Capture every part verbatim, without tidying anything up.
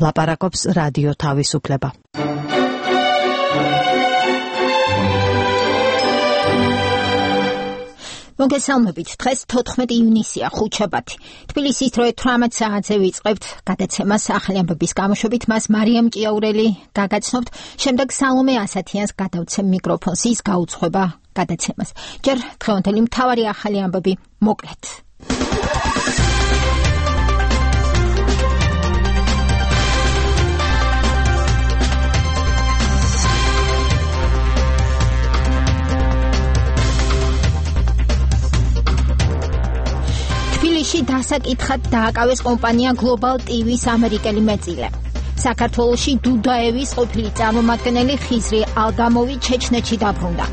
ლაპარაკობს რადიო თავისუფლება. მოგესალმებით, დღეს თოთხმეტი ივნისია, ხუთშაბათი. თბილისის დროე თვრამეტ საათზე ვიწყებთ გადაცემას ახალი ამბების გამოშვებით, მას მარიამ ჭიაურელი გაგაცნობთ, შემდეგ სალომე ასათიანს გადავცემ მიკროფონს, ის გაუძღვება გადაცემას. ჯერ დღევანდელი მთავარი ახალი ამბები მოკლედ. თბილისში დასაკითხად დააკავეს კომპანია Global ტი ვის ამერიკელი მეწილე. საქართველოში დუდაევის ყოფილი წარმომადგენელი ხიზრი ალდამოვი ჩეჩნეთში დაბრუნდა.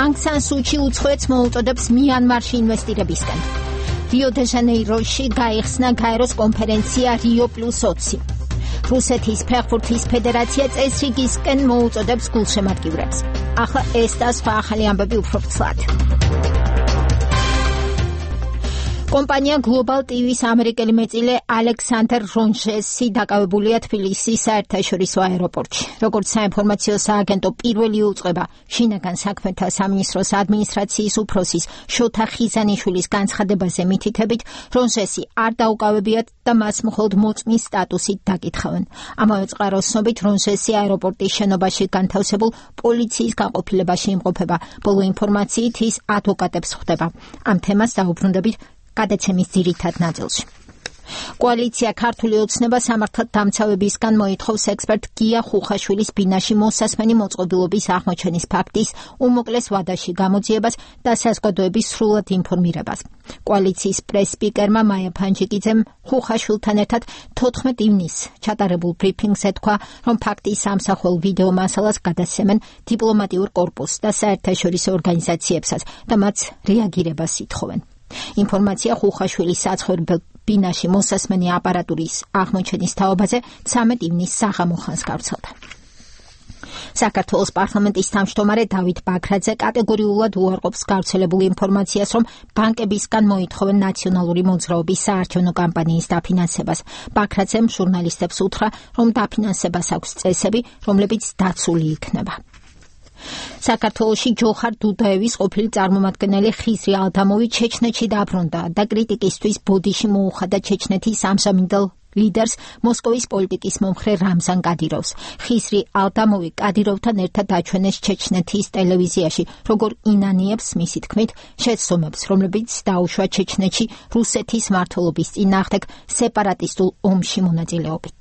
Aung San Suu Kyi უცხოეთს მოუწოდებს მიანმარში ინვესტირებისკენ. რიო დე ჟანეიროში გაიხსნა გაეროს კონფერენცია რიო პლუს ოცი. რუსეთის ფეხბურთის ფედერაცია წესრიგისკენ მოუწოდებს გულშემატკივრებს. ახლა ეს და სხვა ახალი ამბები უფრო ფცლად. კომპანია Global ტი ვის ამერიკელი მეწილე ალექსანდრ რონჟესი დაკავებულია თბილისის საერთაშორისო აეროპორტში. როგორც საინფორმაციო სააგენტო პირველი უწყება შინაგან საქმეთა სამინისტროს ადმინისტრაციის უფროსის შოთა ხიზანიშვილის განცხადებაზე მითითებით, რონჟესი არ დაუკავებიათ და მას მხოლოდ მოწმის სტატუსით დაკითხავენ. ამავე წყაროს ცნობით, რონჟესი აეროპორტის შენობაში განთავსებულ პოლიციის გაყოფილებაში იმყოფება. ბოლო ინფორმაციით ის ადვოკატებს ხვდება. ამ თემას დაუბრუნდებით გადაცემის ძირითად ნაწილში. კოალიცია ქართული ოცნება სამართალ დამცავებისგან მოითხოვს ექსპერტ გია ხუხაშვილის ბინაში მოსასმენი მოწყობილობის აღმოჩენის ფაქტის უმოკლეს ვადაში გამოძიებას და საზოგადოების სრულად ინფორმირებას. კოალიციის პრეს-სპიკერმა მაია ფანჯიკიძემ ხუხაშვილთან ერთად თოთხმეტ ივნისს ჩატარებულ ბრიფინგზე თქვა, რომ ფაქტის სამსახურ ვიდეო მასალას გადასცემენ დიპლომატიურ კორპუსს და საერთაშორისო ორგანიზაციებსაც და მათ რეაგირებას ითხოვენ. ინფორმაცია ხუხაშვილის საცხოვრებელ ბინაში მოსასმენი აპარატურის აღმოჩენის თაობაზე ცამეტ ივნისს საღამო ხანს გავრცელდა. საქართველოს პარლამენტის თავმჯდომარე დავით ბაქრაძე კატეგორიულად უარყოფს გავრცელებულ ინფორმაციას, რომ ბანკებისგან მოითხოვენ ნაციონალური მოძრაობის საარჩევნო კამპანიის დაფინანსებას. ბაქრაძემ ჟურნალისტებს უთხრა, რომ დაფინანსებას აქვს წესები, რომლებიც დაცული იქნება. საქართველოში ჯოხარ დუდაევის ყოფილი წარმომადგენელი ხიზრი ალდამოვი ჩეჩნეთში დაბრუნდა და კრიტიკისთვის ბოდიში მოუხადა ჩეჩნეთის ამჟამინდელ ლიდერს მოსკოვის პოლიტიკის მომხრე რამზან კადიროვს. ხიზრი ალდამოვი კადიროვთან ერთად აჩვენეს ჩეჩნეთის ტელევიზიაში, როგორ ინანიებს მისი თქმით შეცდომებს, რომლებიც დაუშვა ჩეჩნეთში რუსეთის მმართველობის წინააღმდეგ სეპარატისტულ ომში მონაწილეობით.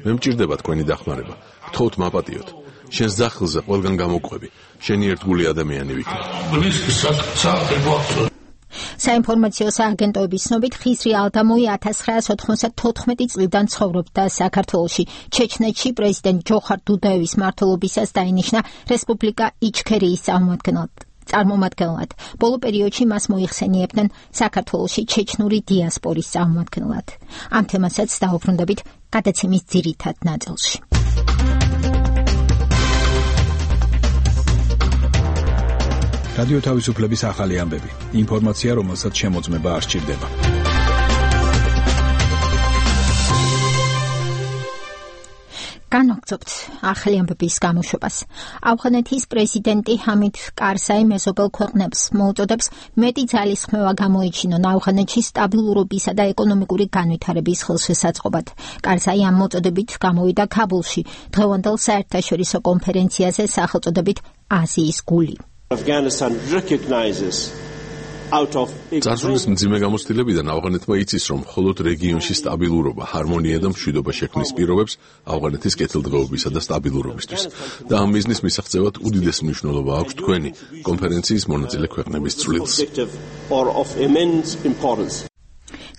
მე მჭირდება თქვენი დახმარება. გთხოვთ მაპატიოთ. შენს ძახილზე ყველგან გამოვყვები. შენი ერთგული ადამიანი ვიქნა. საინფორმაციო სააგენტოების ცნობით, ხიზრი ალდამოვი ათას ცხრაას ოთხმოცდათოთხმეტი წლიდან ცხოვრობდა საქართველოში. ჩეჩნეთში პრეზიდენტ ჯოხარ დუდაევის მმართველობისას დაინიშნა რესპუბლიკა იჩქერიის წარმომადგენლად. წარმომადგენლად. ბოლო პერიოდში მას მოიხსენიებდნენ საქართველოში ჩეჩნური დიასპორის წარმომადგენლად. ამ თემასაც დაუბრუნდებით გადაცემის ძირითად ნაწილში. რადიო თავისუფლების ახალი ამბები. ინფორმაცია, რომელსაც შემოწმება არ სჭირდება. განვაგრძობთ ახალი ამბების გამოშვებას. ავღანეთის პრეზიდენტი ჰამიდ კარზაი მეზობელ ქვეყნებს მოუწოდებს მეტი ძალისხმევა გამოიჩინონ ავღანეთში სტაბილურობისა და ეკონომიკური განვითარების ხელშესაწყობად. კარზაი ამ მოწოდებით გამოვიდა ქაბულში დღევანდელ საერთაშორისო კონფერენციაზე სახელწოდებით აზიის გული. Afghanistan recognizes out of წარსულის მძიმე გამოცდილებიდან ავღანეთმა იცის, რომ მხოლოდ რეგიონში სტაბილურობა, ჰარმონია და მშვიდობა შექმნის პირობებს ავღანეთის კეთილდღეობისა და სტაბილურობისთვის. და ამ მიზნის მისაღწევად უდიდეს მნიშვნელობა აქვს თქვენი კონფერენციის მონაწილე ქვეყნების წვლილს.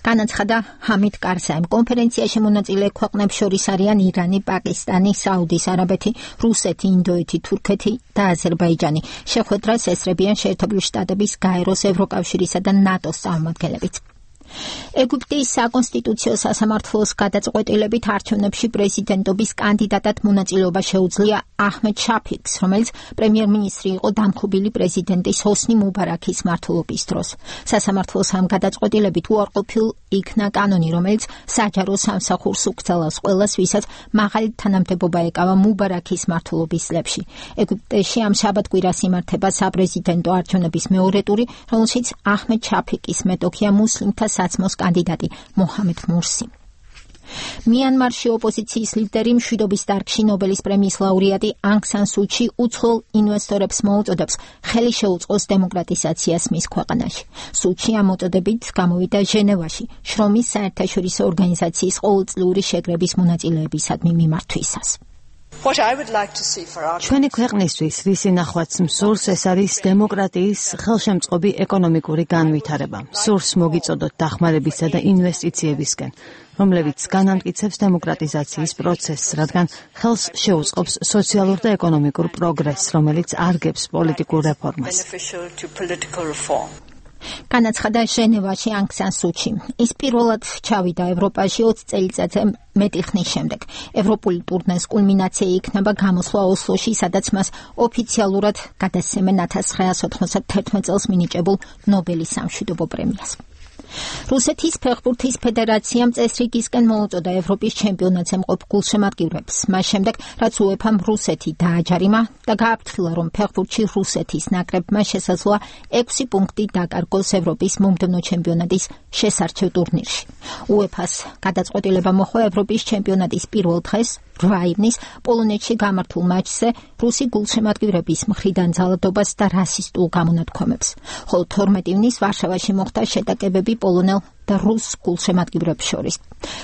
განაცხადა ჰამიდ კარზაიმ. კონფერენციაში მონაწილე ქვეყნებს შორის არიან ირანი, პაკისტანი, საუდის არაბეთი, რუსეთი, ინდოეთი, თურქეთი და აზერბაიჯანი. შეხვედრას ესწრებიან შეერთებული შტატების, გაეროს, ევროკავშირისა და ნატოს წარმომადგენლებიც. ეგვიპტის საკონსტიტუციო სასამართლოს გადაწყვეტილებით არჩევნებში პრეზიდენტობის კანდიდატად მონაწილეობა შეუძლია აჰმედ შაფიკს, რომელიც პრემიერ-მინისტრი იყო დამხობილი პრეზიდენტის ჰოსნი მუბარაქის მმართველობის დროს. სასამართლოს ამ გადაწყვეტილებით უარყოფილ იქნა კანონი, რომელიც საჯარო სამსახურს უგრძელავს ყველას, ვისაც მაღალი თანამდებობა ეკავა მუბარაქის მმართველობის წლებში. ეგვიპტეში ამ შაბათ-კვირას იმართება საპრეზიდენტო არჩევნების მეორე ტური, რომელშიც აჰმედ შაფიკის მეტოქია მუსლიმთა საცმოს კანდიდატი მოჰამედ მურსი. მიანმარში ოპოზიციის ლიდერი მშვიდობის დარგში ნობელის პრემიის ლაურეატი ანგ სან სუ ჩი უცხოელ ინვესტორებს მოუწოდებს ხელი შეუწყოს დემოკრატიზაციას მის ქვეყანაში. სუ ჩი ამ მოწოდებით გამოვიდა ჟენევაში შრომის საერთაშორისო ორგანიზაციის ყოველწლიური შეკრების მონაწილეებისადმი მიმართვისას. ჩვენი ქვეყნისთვის რისი ნახვაც მსურს, ეს არის დემოკრატიის ხელშემწყობი ეკონომიკური განვითარება. მსურს მოგიწოდოთ დახმარებისა და ინვესტიციებისკენ, რომლებიც განამტკიცებს დემოკრატიზაციის პროცესს, რადგან ხელს შეუწყობს სოციალურ და ეკონომიკურ პროგრესს, რომელიც არგებს პოლიტიკურ რეფორმას. განაცხადა ჟენევაში ანგ სან სუ ჩი. ის პირველად ჩავიდა ევროპაში ოცი წელიწადზე მეტი ხნის შემდეგ. ევროპული ტურნეს კულმინაცია იქნება გამოსვლა ოსლოში, სადაც მას ოფიციალურად გადასცემენ ათას ცხრაასი ოთხმოცდათერთმეტ წელს მინიჭებულ ნობელის სამშვიდობო პრემიას. რუსეთის ფეხბურთის ფედერაციამ წესრიგისკენ მოუწოდა ევროპის ჩემპიონატზე მყოფ გულშემატკივრებს. მას შემდეგ, რაც უეფამ რუსეთი დააჯარიმა და გააფრთხილა, რომ ფეხბურთში რუსეთის ნაკრებმა შესაძლოა ექვსი პუნქტი დაკარგოს ევროპის მომდევნო ჩემპიონატის შესარჩევ ტურნირში. უეფას გადაწყვეტილება მოჰყვა ევროპის ჩემპიონატის პირველ დღეს, რვა ივნის პოლონეთში გამართულ მატჩზე რუსი გულშემატკივრების მხრიდან ძალადობას და რასისტულ გამონათქვამებს. ხოლო თორმეტ ივნის ვარშავაში მოხდა შეტაკებები პოლონელ და რუს გულშემატკივრებს შორის.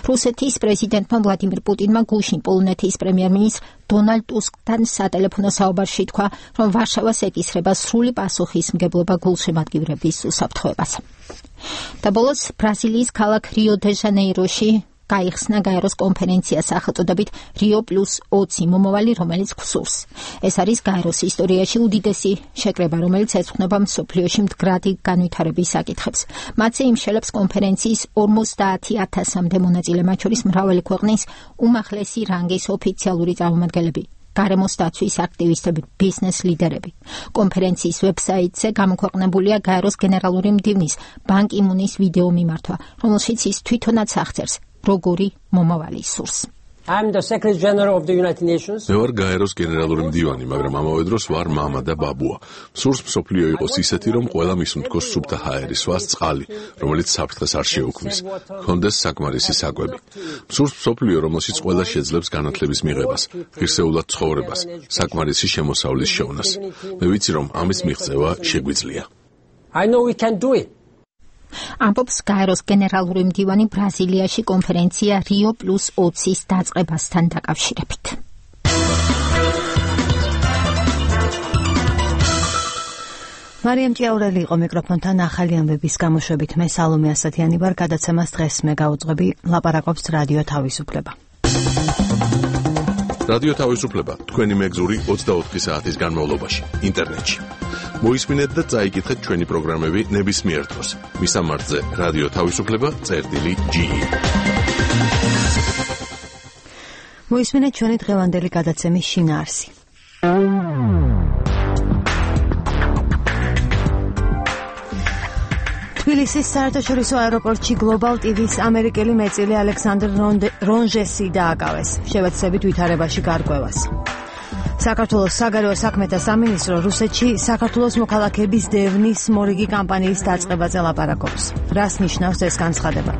რუსეთის პრეზიდენტმა ვლადიმირ პუტინმა გუშინ პოლონეთის პრემიერ-მინისტრ დონალდ ტუსკთან სატელეფონო საუბარში თქვა, რომ ვარშავას ეკისრება სრული პასუხისმგებლობა გულშემატკივრების უსაფრთხოებას. და ბოლოს ბრაზილიის ქალაქ რიო-დე-ჟანეიროში გაიხსნა გაეროს კონფერენცია სახელწოდებით რიო პლუს ოცი მომავალი, რომელიც გსურს. ეს არის გაეროს ისტორიაში უდიდესი შეკრება, რომელიც ეძღვნება მსოფლიოში მდგრადი განვითარების საკითხებს. მათზე იმშელებს კონფერენციის ორმოცდაათი ათასამდე მონაწილე, მათ შორის მრავალი ქვეყნის უმაღლესი რანგის ოფიციალური წარმომადგენლები, გარემოს დაცვის აქტივისტები, ბიზნეს ლიდერები. კონფერენციის ვებსაიტზე გამოქვეყნებულია გაეროს გენერალური მდივნის ბან კი მუნის ვიდეო მიმართვა, რომელშიც ის თვითონაც აღწერს როგორი მომავალი სურს. მე ვარ გაეროს გენერალური მდივანი, მაგრამ ამავე დროს ვარ მამა და ბაბუა. სურს მსოფლიო იყოს ისეთი, რომ ყველა მისუნთქოს სუფთა ჰაერი, სვას წყალი, რომელიც საფრთხეს არ შეუქმნის, ჰქონდეს საკმარისი საკვები. სურს მსოფლიო, რომელშიც ყველა შეძლებს განათლების მიღებას, ღირსეულად ცხოვრებას, საკმარისი შემოსავლის შევნას. მე ვიცი, რომ ამის მიღწევა შეგვიძლია. ამბობს გაეროს გენერალური მდივანი ბრაზილიაში კონფერენცია რიო პლუს ოცის დაწყებასთან დაკავშირებით. მარიამ ჭიაურელი იყო მიკროფონთან ახალი ამბების გამოშვებით. მე სალომე ასათიანი ვარ, გადაცემას დღეს მე გავუძღვები, ლაპარაკობს რადიო თავისუფლება. რადიო თავისუფლება, თქვენი მეგზური ოცდაოთხი საათის განმავლობაში, ინტერნეტში. მოისმინეთ და წაიკითხეთ ჩვენი პროგრამები ნებისმიერ დროს. მისამართზე რადიო თავისუფლება წერტილი ჯი. მოისმინეთ ჩვენი დღევანდელი გადაცემის შინაარსი. თბილისის საერთაშორისო აეროპორტში გლობალ ტივის ამერიკელი მეწილი ალექსანდრ რონჟესი დააკავეს, შევეცდებით ვითარებაში გარკვევას. საქართველოს საგარეო საქმეთა სამინისტრო რუსეთში საქართველოს მოქალაქეების დევნის მორიგი კამპანიის დაწყებაზე ლაპარაკობს. რას ნიშნავს ეს განცხადება?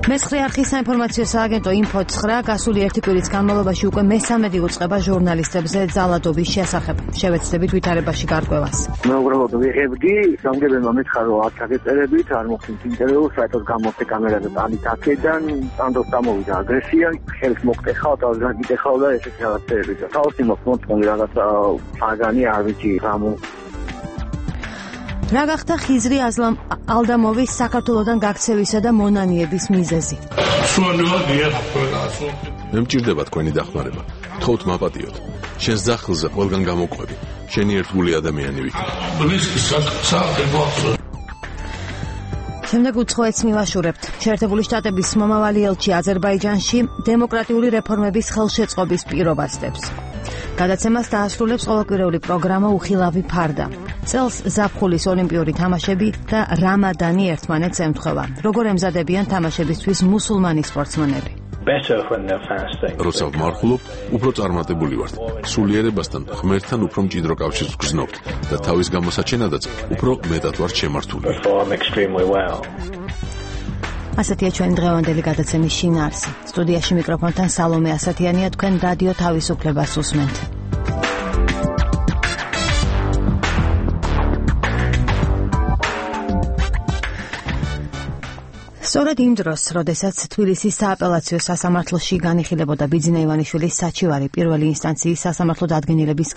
მესხრე არხის საინფორმაციო სააგენტო ინფო ცხრა გასული ერთი კვირის განმავლობაში უკვე მესამედი უწყება ჟურნალისტებზე ძალადობის შესახებ. შევეცდებით ვითარებაში გარკვევას. მე უბრალოდ ვიღებდი, სამგებელმა მითხრა, რომ არ ჩაგეწერებით, არ მოხდით ინტერვიუ, საერთოდ გამოვხდი კამერაზე ტანით აქედან, ტანდოს დამოვიდა აგრესია, ხელს მოგტეხავ, თავს გაგიტეხავ და ესეთი რაღაცები. თავისი მოხმოწმული რაღაცა საგანი არ ვიცი რამო. რა გახდა ხიზრი ალდამოვის საქართველოდან გაქცევისა და მონანიების მიზეზი? მე მჭირდება თქვენი დახმარება. თხოვთ მაპატიოთ. შენს ძახილზე ყველგან გამოყვები. შენი ერთგული ადამიანი ვიქნა. შემდეგ უცხოეთს მივაშურებთ. შეერთებული შტატების მომავალი ელჩი აზერბაიჯანში დემოკრატიული რეფორმების ხელშეწყობის პირობას დებს. გადაცემას დაასრულებს ყოველკვირეული პროგრამა უხილავი ფარდა. წელს ზაფხულის ოლიმპიური თამაშები და რამადანი ერთმანეთს ემთხვევა. როგორ ემზადებიან თამაშებისთვის მუსულმანი სპორტსმენები? როცა ვმარხულობთ, უფრო წარმატებული ვართ. სულიერებასთან, ღმერთთან უფრო მჭიდრო კავშირს ვგრძნობთ და თავის გამოსაჩენადაც უფრო მეტად ვართ შემართული. ასეთია ჩვენი დღევანდელი გადაცემის შინაარსი. სტუდიაში მიკროფონთან სალომე ასათიანია, თქვენ რადიო თავისუფლებას უსმენთ. სწორედ იმ დროს, როდესაც თბილისის სააპელაციო სასამართლოში განიხილებოდა ბიძინა ივანიშვილის საჩივარი პირველი ინსტანციის სასამართლო დადგენილების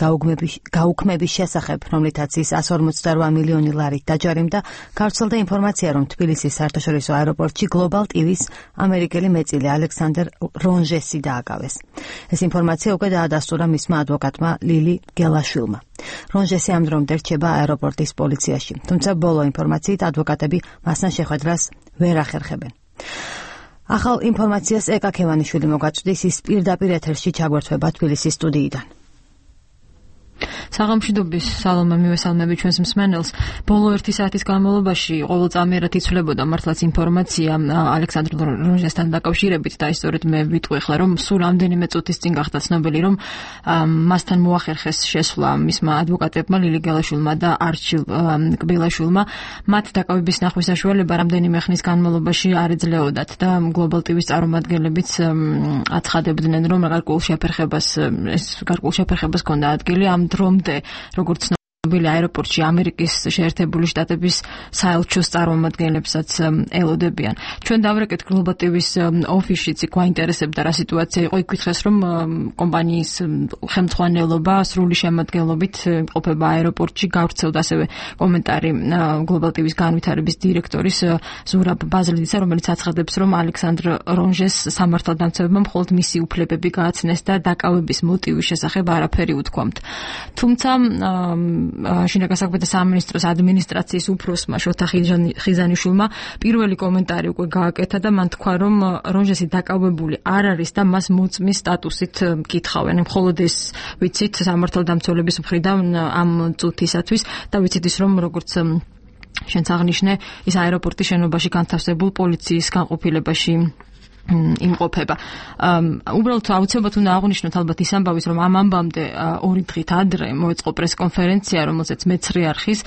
გაუქმების შესახებ, რომლითაც ის εκατს ორმოცდარვა მილიონი ლარით დაჯარიმდა, გავრცელდა ინფორმაცია, რომ თბილისის საერთაშორისო აეროპორტში Global ტი ვის ამერიკელი მეწილე ალექსანდრ რონჟესი დააკავეს. ეს ინფორმაცია უკვე დაადასტურა მისმა ადვოკატმა ლილი გელაშვილმა. რონჟესი ამ დრომდე რჩება აეროპორტის პოლიციაში, თუმცა ბოლო ინფორმაციით ადვოკატები მასთან შეხვედრას ვერ ახერხებენ. ახალ ინფორმაციას ეკა ქევანიშვილი მოგაწვდის, ის პირდაპირ ეთერში ჩაგვერთვება თბილისის სტუდიიდან. საღამოშიდობის სალომე მივესალმები ჩვენს მსმენელს. ბოლო ერთი საათის განმავლობაში ყოველწამიერად იცვლებოდა მართლაც ინფორმაცია ალექსანდრ რონჟესთან დაკავშირებით და ისწორედ მე ვიტყვი ახლა, რომ სულ რამდენიმე წუთის წინ გახდა ცნობილი, რომ მასთან მოახერხეს შესვლა მისმა ადვოკატებმა ლილი გელაშვილმა და არჩილ კბილაშვილმა. მათ დაკავების ნახვის საშუალება რამდენიმე ხნის განმავლობაში არ ეძლეოდათ და Global ტი ვის წარმომადგენლებიც აცხადებდნენ, რომ გარკვეულ შეფერხებას ეს გარკვეულ შეფერხებას ჰქონდა ადგილი ამ დრომდე, როგორც ცნობილი აეროპორტში ამერიკის შეერთებული შტატების საელჩოს წარმომადგენლებსაც ელოდებიან. ჩვენ დავრეკეთ Global ტი ვის ოფისშიც იქ გვაინტერესებდა რა სიტუაცია იყო. იქ გითხეს, რომ კომპანიის ხელმძღვანელობა სრული შემადგენლობით ყოფება აეროპორტში. გავრცელდა ასევე კომენტარი Global ტი ვის განვითარების დირექტორის ზურაბ ბაზლიდისა, რომელიც აცხადებს, რომ ალექსანდრ რონჟეს სამართალდამცავებმა მხოლოდ მისი უფლებები გააცნეს და დაკავების მოტივის შესახებ არაფერი უთქვამთ. თუმცა შინაგან საქმეთა სამინისტროს ადმინისტრაციის უფროსმა შოთა ხიზანიშვილმა პირველი კომენტარი უკვე გააკეთა და მან თქვა, რომ რონჟესი დაკავებული არ არის და მას მოწმის სტატუსით მკითხავენ. მხოლოდ ეს ვიცით სამართალდამცველების მხრიდან ამ წუთისათვის და ვიცით ის, რომ როგორც შენც აღნიშნე, ის აეროპორტის შენობაში განთავსებულ პოლიციის განყოფილებაში იმყოფება. უბრალოდ აუცილებლად უნდა აღვნიშნოთ ალბათ ის ამბავის, რომ ამ ამბამდე ორი დღით ადრე მოეწყო პრესკონფერენცია, რომელზეც მეცხრე არხის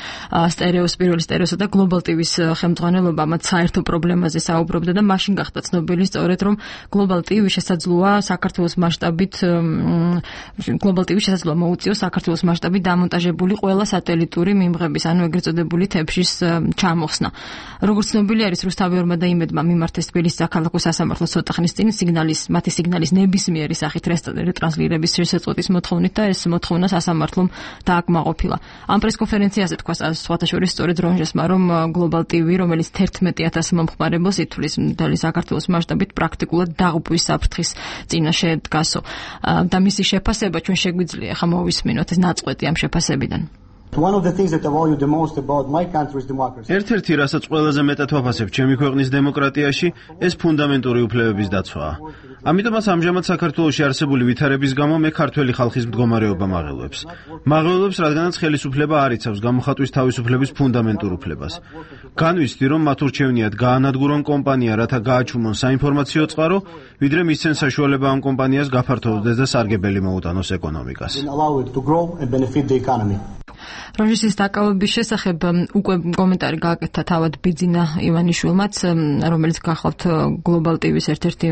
სტერეოს პირველი სტერეოსა და Global ტი ვის ხელმძღვანელობა მათ საერთო პრობლემაზე საუბრობდა და მაშინ გახდა ცნობილი სწორედ, რომ Global ტი ვის შესაძლოა საქართველოს მასშტაბით Global ტი ვის შესაძლოა მოუწიოს საქართველოს მასშტაბით დამონტაჟებული ყველა სატელიტური მიმღების, ანუ ეგრეთ წოდებული თებშის ჩამოხსნა. როგორც ცნობილი არის, რუსთავიორმა და იმედმა მიმართეს თბილისის საქალაქო სასამართლო ცოტა ხნის წინ სიგნალის, მათი სიგნალის ნებისმიერი სახით რეტრანსლირების შესაწყვეტის მოთხოვნით და ეს მოთხოვნა სასამართლომ დააკმაყოფილა. ამ პრესკონფერენციაზე თქვა სხვათა შორის სწორედ რონჟესმა, რომ Global ტი ვი, რომელიც თერთმეტი ათასი მომხმარებელს ითვლის მთელი საქართველოს მასშტაბით, პრაქტიკულად დაღუპვის საფრთხის წინაშე დგასო. და მისი შეფასება ჩვენ შეგვიძლია ახლა მოვისმინოთ ეს ნაწყვეტი ამ შეფასებიდან. ერთ-ერთი, რასაც ყველაზე მეტად ვაფასებ ჩემი ქვეყნის დემოკრატიაში, ეს ფუნდამენტური უფლებების დაცვაა. ამიტომაც ამჟამად საქართველოში არსებული ვითარების გამო მე ქართველი ხალხის მდგომარეობა მაღელვებს. მაღელვებს, რადგანაც ხელისუფლება არ იცავს გამოხატვის თავისუფლების ფუნდამენტურ უფლებას. განვიცდი, რომ მათ ურჩევნიათ გაანადგურონ კომპანია, რათა გააჩუმონ საინფორმაციო წყარო, ვიდრე მისცენ საშუალება ამ კომპანიას გაფართოვდეს და სარგებელი მოუტანოს ეკონომიკას. რონჟესის დაკავების შესახებ უკვე კომენტარი გააკეთა თავად ბიძინა ივანიშვილმაც, რომელიც გახლავთ Global ტი ვის ერთ-ერთი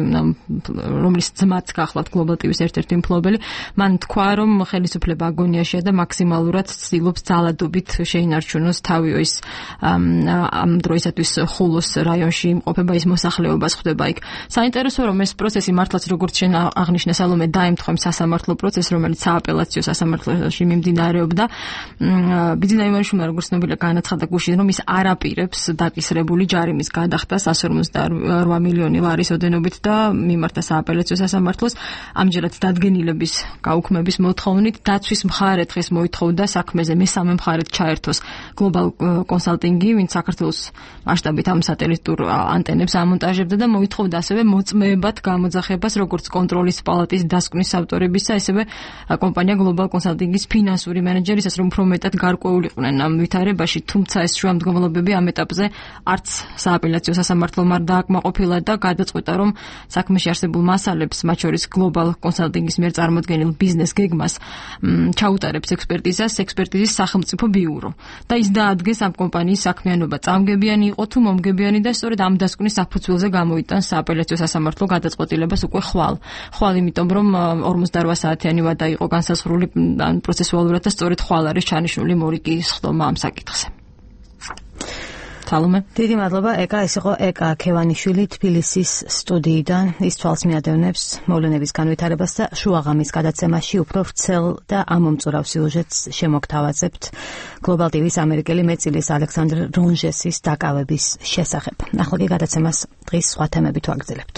რომლის ძმაც გახლავთ Global ტი ვის ერთ-ერთი მფლობელი. მან თქვა, რომ ხელისუფლება აგონიაშია და მაქსიმალურად ცდილობს ძალადობით შეინარჩუნოს თავი ის ამ დროისათვის ხულოს რაიონში იმყოფება, ის მოსახლეობას ხვდება იქ. საინტერესო რომ ეს პროცესი მართლაც როგორც შენ აღნიშნე სალომე დაემთხვა სასამართლო პროცესს, რომელიც სააპელაციო სასამართლოში მიმდინარეობდა. ბიძინა ივანიშვილმა როგორც ცნობილია განაცხადა გუშინ, რომ ის არ აპირებს დაკისრებული ჯარიმის გადახდას εκατს ორმოცდაორ მილიონი ლარის ოდენობით და მიმართა სააპელაციო სასამართლოს. ამჯერად დადგენილების გაუქმების მოთხოვნით დაცვის მხარე დღეს მოითხოვდა საქმეზე მესამე მხარედ ჩაერთოს Global Consulting-ი, ვინც საქართველოს მასშტაბით ამ სატელიტურ ანტენებს ამონტაჟებდა და მოითხოვდა ასევე მოწმეებად გამოძახებას როგორც კონტროლის პალატის დასკვნის ავტორებისა, ასევე კომპანია Global Consulting-ის ფინანსური მენეჯერისას, რომ უფრო მეტად გარკვეულიყვნენ ამ ვითარებაში, თუმცა ეს შუამდგომლობები ამ ეტაპზე არც სააპელაციო სასამართლომ არ დააკმაყოფილა და გადაწყვიტა, რომ საქმეში არსებულ მასალებს, მათ შორის Global Consulting-ის მიერ წარმოდგენილ ბიზნეს გეგმას ჩაუტარებს ექსპერტიზას ექსპერტიზის სახელმწიფო ბიურო და ის დაადგეს ამ კომპანიის საქმიანობა წამგებიანი იყო თუ მომგებიანი და სწორედ ამ დასკვნის საფუძველზე გამოიტანს სააპელაციო სასამართლო გადაწყვეტილებას უკვე ხვალ. ხვალ იმიტომ, რომ ორმოცდაორ საათიანი ვადა იყო განსაზღვრული პროცესუალურად და სწორედ ხვალ არის ჩანიშნული მორიგის ხდომა ამ საკითხზე. თალომე. დიდი მადლობა ეკა, ეს იყო ეკა ქევანიშვილი თბილისის სტუდიიდან. ის თვალს მიადევნებს მოვლენების განვითარებას და შუაღამის გადაცემაში უფრო ვრცელ და ამომწურავ სიუჟეტს შემოგთავაზებთ Global ტი ვის ამერიკელი მეწილის ალექსანდრ რონჟესის დაკავების შესახებ. ახლა კი გადაცემას დღის სხვა თემებით ვაგრძელებთ.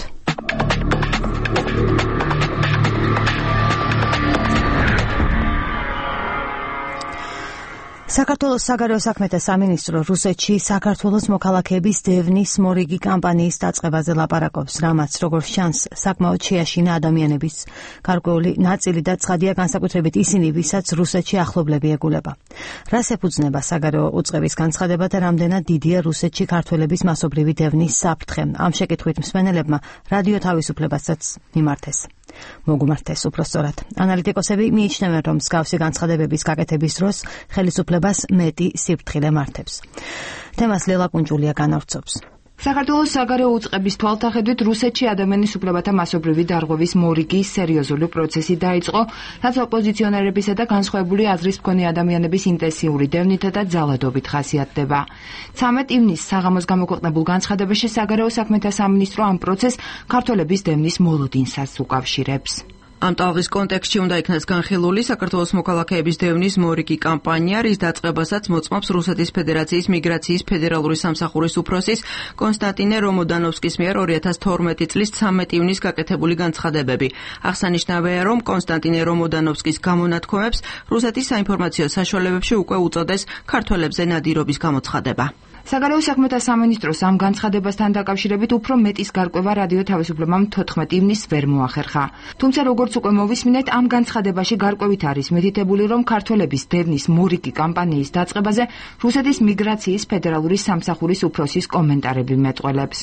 საქართველოს საგარეო საქმეთა სამინისტრო რუსეთში საქართველოს მოქალაქეების დევნის მორიგი კამპანიის დაწყებაზე ლაპარაკობს, რამაც როგორც ჩანს, საკმაოდ შეაშინა ადამიანების გარკვეული ნაწილი და ცხადია განსაკუთრებით ისინი, ვისაც რუსეთში ახლობლები ეგულება. რას ეფუძნება საგარეო უწყების განცხადება და რამდენად დიდია რუსეთში ქართველების მასობრივი დევნის საფრთხე? ამ შეკითხვით მსმენელებმა რადიო თავისუფლებასაც მიმართეს. მოგუმართეს უფრო სწორად. ანალიტიკოსები მიიჩნევენ, რომ მსგავსი განცხადებების გაკეთების დროს ხელისუფლებას მეტი სიფრთხილე მართებს. თემას ლელა კუნჯულია განავრცობს. საქართველოს საგარეო უწყების თვალსაჩინით რუსეთში ადამიანის უფლებათა მასობრივი დარღვევის მორიგი სერიოზული პროცესი დაიწყო, რაც ოპოზიციონერებისა და განსხვავებული აზრის მქონე ადამიანების ინტენსიური დევნითა და ძალადობით ხასიათდება. ცამეტ ივნისს საღამოს გამოქვეყნებულ განცხადებაში საგარეო საქმეთა სამინისტრო ამ პროცესს ქართველების დევნის მოლოდინსაც უკავშირებს. ამ ტალღის კონტექსტში უნდა იქნას განხილული საქართველოს მოქალაქეების დევნის მორიგი კამპანია, რის დაწყებასაც მოწმობს რუსეთის ფედერაციის მიგრაციის ფედერალური სამსახურის უფროსის კონსტანტინე რომოდანოვსკის მიერ ორი ათას თორმეტი წლის ცამეტ ივნისს გაკეთებული განცხადებები. აღსანიშნავია, რომ კონსტანტინე რომოდანოვსკის გამონათქვამებს რუსეთის საინფორმაციო საშუალებებში უკვე უწოდეს ქართველებზე ნადირობის გამოცხადება. საგარეო საქმეთა სამინისტროს ამ განცხადებასთან დაკავშირებით უფრო მეტის გარკვევა რადიო თავისუფლებამ თოთხმეტ ივნისს ვერ მოახერხა. თუმცა როგორც უკვე მოვისმინეთ, ამ განცხადებაში გარკვევით არის მითითებული, რომ ქართველების დევნის მორიგი კამპანიის დაწყებაზე რუსეთის მიგრაციის ფედერალური სამსახურის უფროსის კომენტარები მეტყველებს.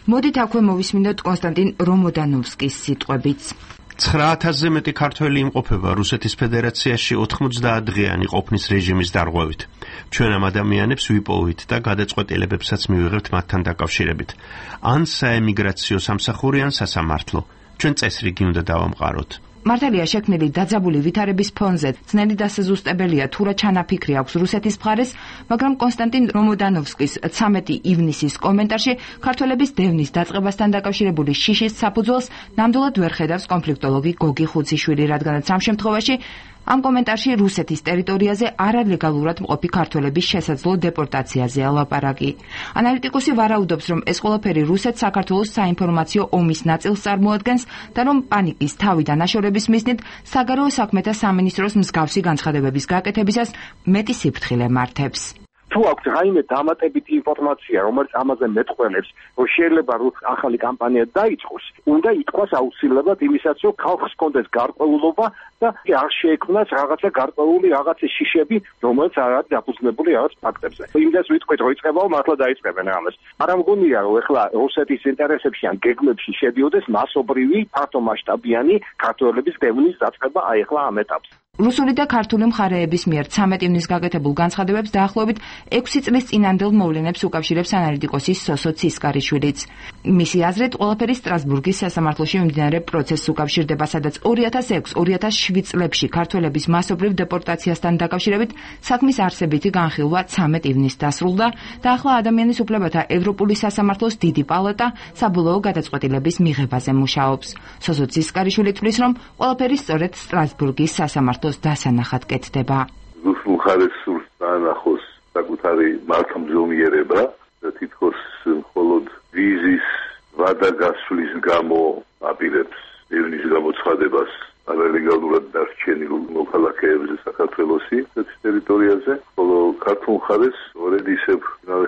მოდით აქვე მოვისმინოთ კონსტანტინ რომოდანოვსკის სიტყვებიც. ცხრა ათასზე მეტი ქართველი იმყოფება რუსეთის ფედერაციაში ოთხმოცდაათ დღიანი ყოფნის რეჟიმის დარღვევით. ჩვენ ამ ადამიანებს ვიპოვით და გადაწყვეტილებებსაც მივიღებთ მათთან დაკავშირებით. ან საემიგრაციო სამსახური, ან სასამართლო. ჩვენ წესრიგი უნდა დავამყაროთ. მართალია შექმნილი დაძაბული ვითარების ფონზე ძნელი დასაზუსტებელია თუ რა ჩანაფიქრი აქვს რუსეთის მხარეს, მაგრამ კონსტანტინ რომოდანოვსკის ცამეტი ივნისის კომენტარში ქართველების დევნის დაწყებასთან დაკავშირებული შიშის საფუძველს ნამდვილად ვერ ხედავს კონფლიქტოლოგი გოგი ხუციშვილი, რადგანაც ამ შემთხვევაში ამ კომენტარში რუსეთის ტერიტორიაზე არალეგალურად მყოფი ქართველების შესაძლო დეპორტაციაზეა ლაპარაკი. ანალიტიკოსი ვარაუდობს, რომ ეს ყველაფერი რუსეთს საქართველოს საინფორმაციო ომის ნაწილს წარმოადგენს და რომ პანიკის თავი და ნაშორების მიზნით საგარეო საქმეთა სამინისტროს მსგავსი განცხადებების გაკეთებისას მეტი სიფრთხილე მართებს. თუ აქვს რაიმე დამატებითი ინფორმაცია, რომელიც ამაზე მეტყველებს, რომ შეიძლება ახალი კამპანია დაიწყოს, უნდა ითქვას აუცილებლად იმისაც, რომ ხალხს კონდეს გარკვეულობა და არ შეექმნას რაღაცა გარკვეული რაღაცა შიშები, რომელიც არ არის დაფუძნებული რაღაც ფაქტებზე. იმდენს ვიტყვით, რომ იწყებაო, მართლა დაიწყებენ ამას. არ ამგონია, რომ ეხლა რუსეთის ინტერესებში ან გეგმებში შედიოდეს მასობრივი, ფართომასშტაბიანი ქართველების დევნის დაწყება აი ეხლა ამ ეტაპზე. რუსული და ქართული მხარეების მიერ ცამეტ ივნისს გაკეთებულ განცხადებებს დაახლოებით ექვსი წლის წინანდელ მოვლენებს უკავშირებს ანალიტიკოსი სოსო ცისკარიშვილიც. მისი აზრით, ყველაფერი სტრასბურგის სასამართლოში მიმდინარე პროცესს უკავშირდება, სადაც ორი ათას ექვსი ორი ათას შვიდ წლებში ქართველების მასობრივ დეპორტაციასთან დაკავშირებით საქმის არსებითი განხილვა ცამეტ ივნისს დასრულდა და ახლა ადამიანის უფლებათა ევროპული სასამართლოს დიდი პალატა საბოლოო გადაწყვეტილების მიღებაზე მუშაობს. სოსო ცისკარიშვილი თვლის, რომ ყველაფერი სწორედ სტრასბურგის სასამართლოს დასანახად კეთდება. რუსულ მხარეს სურს დაანახოს საკუთარი მართლმძღვანელობა და თითქოს მხოლოდ ვიზის ვადა გასვლის გამო აპირებს ევნის გამოცხადებას არალეგალურად დარჩენილ მოქალაქეებზე საქართველოსი ტერიტორიაზე, ხოლო ქართულ მხარეს სწორედ ისევ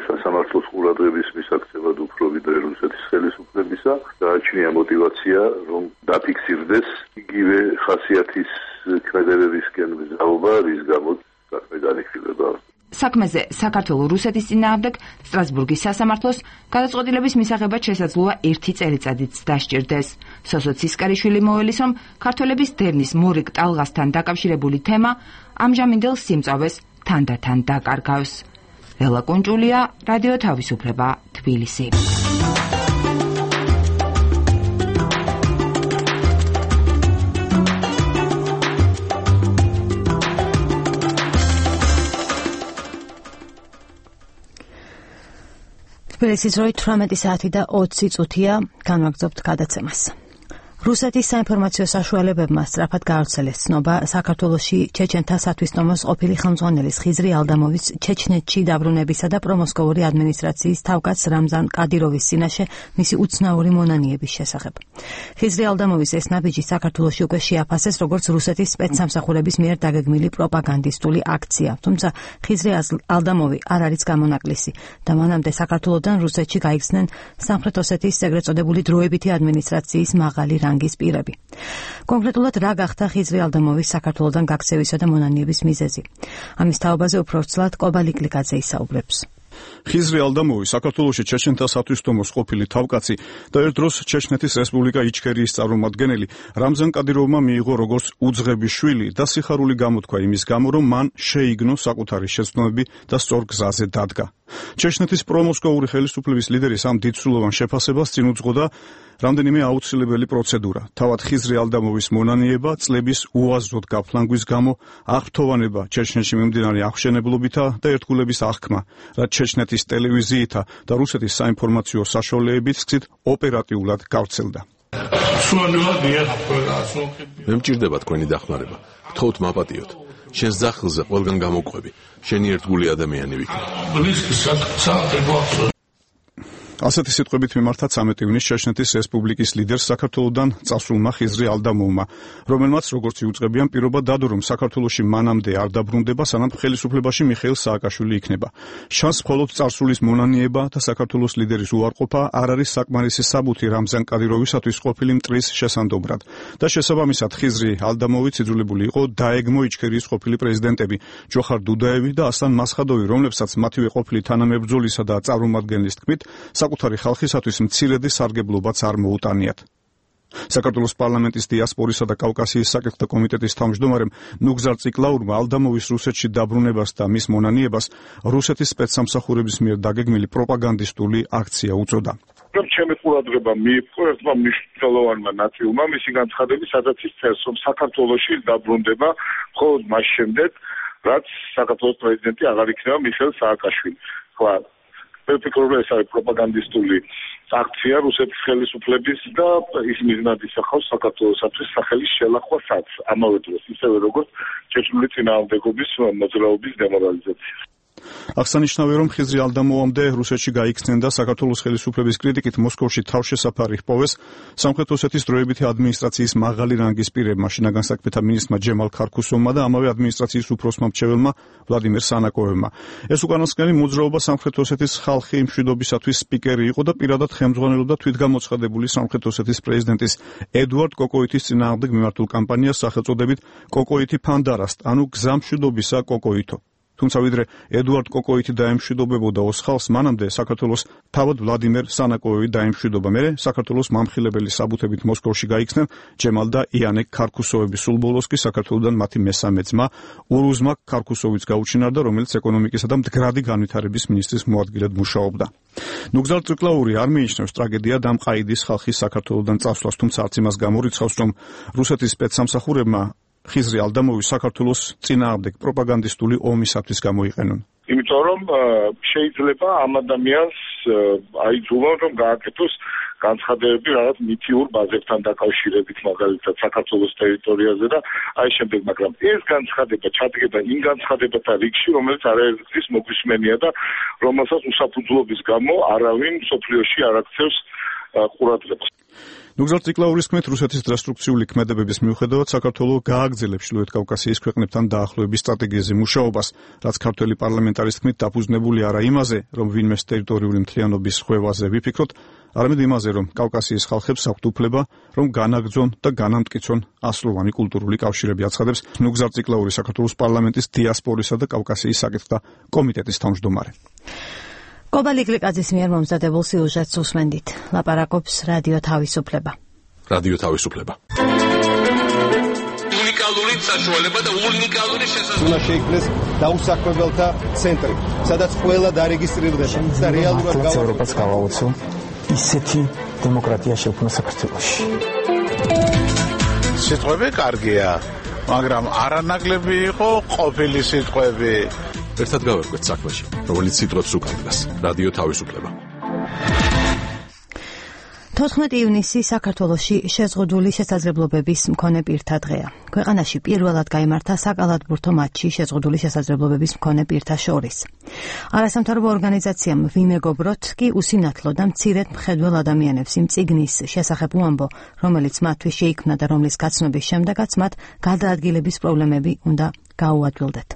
სასამართლოს ყურადღების მისაქცევად უფრო ვიდრე რუსეთის ხელისუფლებისა გააჩნია მოტივაცია, რომ დაფიქსირდეს იგივე ხასიათის ქმედებებისკენ მგზავრობა, რის გამოც საქმე განიხილება. საქმეზე საქართველოს რუსეთის წინააღმდეგ სტრასბურგის სასამართლოს გადაწყვეტილების მისაღებად შესაძლოა ერთი წელიწადიც დასჭირდეს. სოსო ცისკარიშვილი მოელის, რომ ქართველების დევნის მორიგ ტალღასთან დაკავშირებული თემა ამჟამინდელ სიმწავეს თანდათან დაკარგავს. ელა კუნჭულია, რადიო თავისუფლება, თბილისი. თბილისის როი თვრამეტი საათი და ოცი წუთია, განვაგრძობთ გადაცემას. რუსეთის საინფორმაციო საშუალებებმა სწრაფად გაავრცელეს ცნობა საქართველოში ჩეჩენთა სათვისტომოს ყოფილი ხელმძღვანელის ხიზრი ალდამოვის ჩეჩნეთში დაბრუნებისა და პრომოსკოვური ადმინისტრაციის თავკაც რამზან კადიროვის წინაშე მისი უცნაური მონანიების შესახებ. ხიზრი ალდამოვის ეს ნაბიჯი საქართველოში უკვე შეაფასეს როგორც რუსეთის სპეცსამსახურების მიერ დაგეგმილი პროპაგანდისტული აქცია, თუმცა ხიზრი ალდამოვი არ არის გამონაკლისი და მანამდე საქართველოდან რუსეთში გაიხსნენ სამხრეთ ოსეთის ეგრეთ წოდებული დროებითი ადმინისტრაციის მაღალი რანგის პირები. კონკრეტულად რა გახდა ხიზრი ალდამოვის საქართველოდან გაქცევისა და მონანიების მიზეზი? ამის თაობაზე უფრო ვრცლად კობა ლიკლიკაძე ისაუბრებს. ხიზრი ალდამოვი საქართველოში ჩეჩენთა სათვისტომოს ყოფილი თავკაცი და ერთ დროს ჩეჩნეთის რესპუბლიკა იჩქერიის წარმომადგენელი რამზან კადიროვმა მიიღო როგორც უძღების შვილი და სიხარული გამოთქვა იმის გამო, რომ მან შეიგნო საკუთარი შეცდომები და სწორ გზაზე დადგა. ჩეჩნეთის პრომოსკოვური ხელისუფლების ლიდერის ამ დიდსრულოვან შეფასებას წინ უძღოდა რამდენიმე აუცილებელი პროცედურა. თავად ხიზრი ალდამოვის მონანიება, წლების უაზროდ გაფლანგვის გამო, აღფრთოვანება ჩეჩნეთში მიმდინარე აღშენებლობითა და ერთგულების აღქმა, რაც ჩეჩნეთის ტელევიზიითა და რუსეთის საინფორმაციო საშუალებებით გზით ოპერატიულად გავრცელდა. მე მჭირდება თქვენი დახმარება. გთხოვთ მაპატიოთ. შენს ძახილზე ყველგან გამოგყვები. შენი ერთგული ადამიანი ვიქნებ. ასეთი სიტყვებით მიმართა ცამეტი ივნის ჩეჩნეთის რესპუბლიკის ლიდერს საქართველოდან წასულმა ხიზრი ალდამოვმა, რომელმაც როგორც იუწყებიან პირობა დადო, რომ საქართველოში მანამდე არ დაბრუნდება, სანამ ხელისუფლებაში მიხეილ სააკაშვილი იქნება. შანს მხოლოდ წარსულის მონანიება და საქართველოს ლიდერის უარყოფა არ არის საკმარისი საბუთი რამზან კადიროვისათვის ყოფილი მტრის შესანდობრად. და შესაბამისად ხიზრი ალდამოვი იძულებული იყო დაეგმო იჩქერიის ყოფილი პრეზიდენტები ჯოხარ დუდაევი და ასლან მასხადოვი, რომლებსაც მათივე ყოფილი თანამებრძოლისა და წარმომადგენლის თქმით საკუთარი ხალხისათვის მცირედი სარგებლობაც არ მოუტანიათ. საქართველოს პარლამენტის დიასპორისა და კავკასიის საკითხთა კომიტეტის თავმჯდომარემ ნუგზარ ციკლაურმა ალდამოვის რუსეთში დაბრუნებას და მის მონანიებას რუსეთის სპეცსამსახურების მიერ დაგეგმილი პროპაგანდისტული აქცია უწოდა. ჩემი ყურადღება მიიპყრო ერთმა მნიშვნელოვანმა ნაწილმა მისი განცხადების, სადაც ის წერს, რომ საქართველოში დაბრუნდება მხოლოდ მას შემდეგ, რაც საქართველოს პრეზიდენტი აღარ იქნება მიხეილ სააკაშვილი. ხო, მე ვფიქრობ, რომ ეს არის პროპაგანდისტული აქცია რუსეთის ხელისუფლების და ის მიზნად ისახავს საქართველოსათვის სახელის შელახვასაც, ამავე დროს ისევე როგორც ჩეჩნული წინააღმდეგობის მოძრაობის დემორალიზაცია. აღსანიშნავია, რომ ხიზრი ალდამოვამდე რუსეთში გაიქცნენ და საქართველოს ხელისუფლების კრიტიკით მოსკოვში თავშესაფარი ჰპოვეს სამხრეთ ოსეთის დროებითი ადმინისტრაციის მაღალი რანგის პირებმა, შინაგან საქმეთა მინისტრმა ჯემალ ქარქუსოვმა და ამავე ადმინისტრაციის უფროსმა მრჩეველმა ვლადიმერ სანაკოევმა. ეს უკანასკნელი მოძრაობა სამხრეთ ოსეთის ხალხი მშვიდობისათვის სპიკერი იყო და პირადად ხელმძღვანელობდა თვითგამოცხადებული სამხრეთ ოსეთის პრეზიდენტის ედუარდ კოკოიტის წინააღმდეგ მიმართულ კამპანიას სახელწოდებით კოკოიტი ფანდარასტ, ანუ გზა მშვიდობისა კოკოიტო. თუმცა ვიდრე ედუარდ კოკოიტი დაემშვიდობებოდა ოსხალს, მანამდე საქართველოს თავად ვლადიმერ სანაკოევი დაემშვიდობა. მერე საქართველოს მამხილებელი საბუთებით მოსკოვში გაიქცნენ ჯემალ და იანე ქარქუსოვები. სულ ბოლოს კი საქართველოდან მათი მესამე ძმა ურუზმა ქარქუსოვიც გაუჩინარდა, რომელიც ეკონომიკისა და მდგრადი განვითარების მინისტრის მოადგილედ მუშაობდა. ნუგზარ ციკლაური არ მიიჩნევს ტრაგედიად ამ ყაიდის ხალხის საქართველოდან წასვლას, თუმცა არც იმას გამორიცხავს, რომ რუსეთის სპეცსამსახურებმა ხიზრი ალდამოვი საქართველოს წინააღმდეგ პროპაგანდისტული ომისათვის გამოიყენონ. იმიტომ რომ შეიძლება ამ ადამიანს აიძულონ, რომ გააკეთოს განცხადებები რაღაც მითიურ ბაზებთან დაკავშირებით, მაგალითად საქართველოს ტერიტორიაზე და აი შემდეგ, მაგრამ ეს განცხადება ჩადგება იმ განცხადებათა რიგში, რომელიც არაერთგზის მოგვისმენია და რომელსაც უსაფუძვლობის გამო არავინ მსოფლიოში არ აქცევს ყურადღებას. ნუგზარ ციკლაურის თქმით, რუსეთის დრასტრუქციული ქმედებების მიუხედავად საქართველოს გააგრძელებს ჩრდილოეთ კავკასიის ქვეყნებთან დაახლოების სტრატეგიაზე მუშაობას, რაც ქართველი პარლამენტარის თქმით დაფუძნებული არა იმაზე, რომ ვინმეს ტერიტორიული მთლიანობის ხვევაზე ვიფიქროთ, არამედ იმაზე, რომ კავკასიის ხალხებს აქვთ უფლება, რომ განაგრძონ და განამტკიცონ ასლოვანი კულტურული კავშირები, აცხადებს ნუგზარ ციკლაური საქართველოს პარლამენტის დიასპორისა და კავკასიის საკითხთა კომიტეტის თავმჯდომარე. კობალი გლიკაძის მიერ მომზადებულ სიუჟეტს უსმენდით. ლაპარაკობს რადიო თავისუფლება. რადიო თავისუფლება. უნიკალური საშუალება და უნიკალური შესაძლებლობა. უნდა შეიქმნეს დაუსაქმებელთა ცენტრი, სადაც ყველა დარეგისტრირდება და რეალურად ევროპას გავაუცო ისეთი დემოკრატია შექმნა საქართველოში. სიტყვები კარგია, მაგრამ არანაკლები იყო ყოფილი სიტყვები. ერთად გავერკვეთ საქმეში, რომელიც სიტყვებს უკარგავს. რადიო თავისუფლება. თოთხმეტი ივნისი საქართველოში შეზღუდული შესაძლებლობების მქონე პირთა დღეა. ქვეყანაში პირველად გაიმართა საკალათბურთო მატჩი შეზღუდული შესაძლებლობების მქონე პირთა შორის. არასამთავრობო ორგანიზაციამ ვიმეგობროთ კი უსინათლო და მცირედ მხედველ ადამიანებს იმ წიგნის შესახებ უამბო, რომელიც მათთვის შეიქმნა და რომლის გაცნობის შემდეგაც მათ გადაადგილების პრობლემები უნდა გაუადვილდეთ.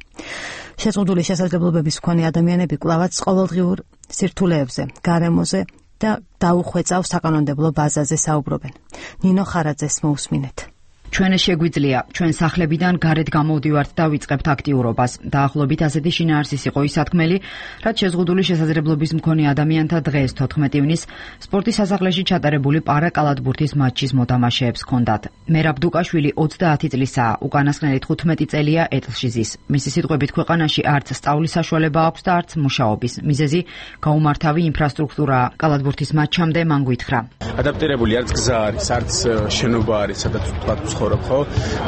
შეზღუდული შესაძლებლობების მქონე ადამიანები კვლავაც ყოველდღიურ სირთულეებზე, გარემოზე და დაუხვეწავ საკანონმდებლო ბაზაზე საუბრობენ. ნინო ხარაძეს მოусმინეთ. ჩვენ შეგვიძლია ჩვენ სახლებიდან გარეთ გამოვდივართ და ვიწყებთ აქტიურობას. დაახლოებით ასეთი შინაარსის იყო ის სათქმელი, რაც შეზღუდული შესაძლებლობის მქონე ადამიანთა დღეს თოთხმეტი ივნისს სპორტის სასახლეში ჩატარებული პარაკალათბურთის მატჩის მოთამაშეებს ჰქონდათ. მერაბ დუკაშვილი ოცდაათი წლისაა, უკანასკნელი თხუთმეტი წელია ეტლში ზის. მისი სიტყვებით ქვეყანაში არც სწავლის საშუალება აქვს და არც მუშაობის. მიზეზი გაუმართავი ინფრასტრუქტურაა. კალათბურთის მატჩამდე მან გვითხრა. ადაპტირებული არც გზა არის, არც შენობა არის, სადაც ვთქვათ ხო?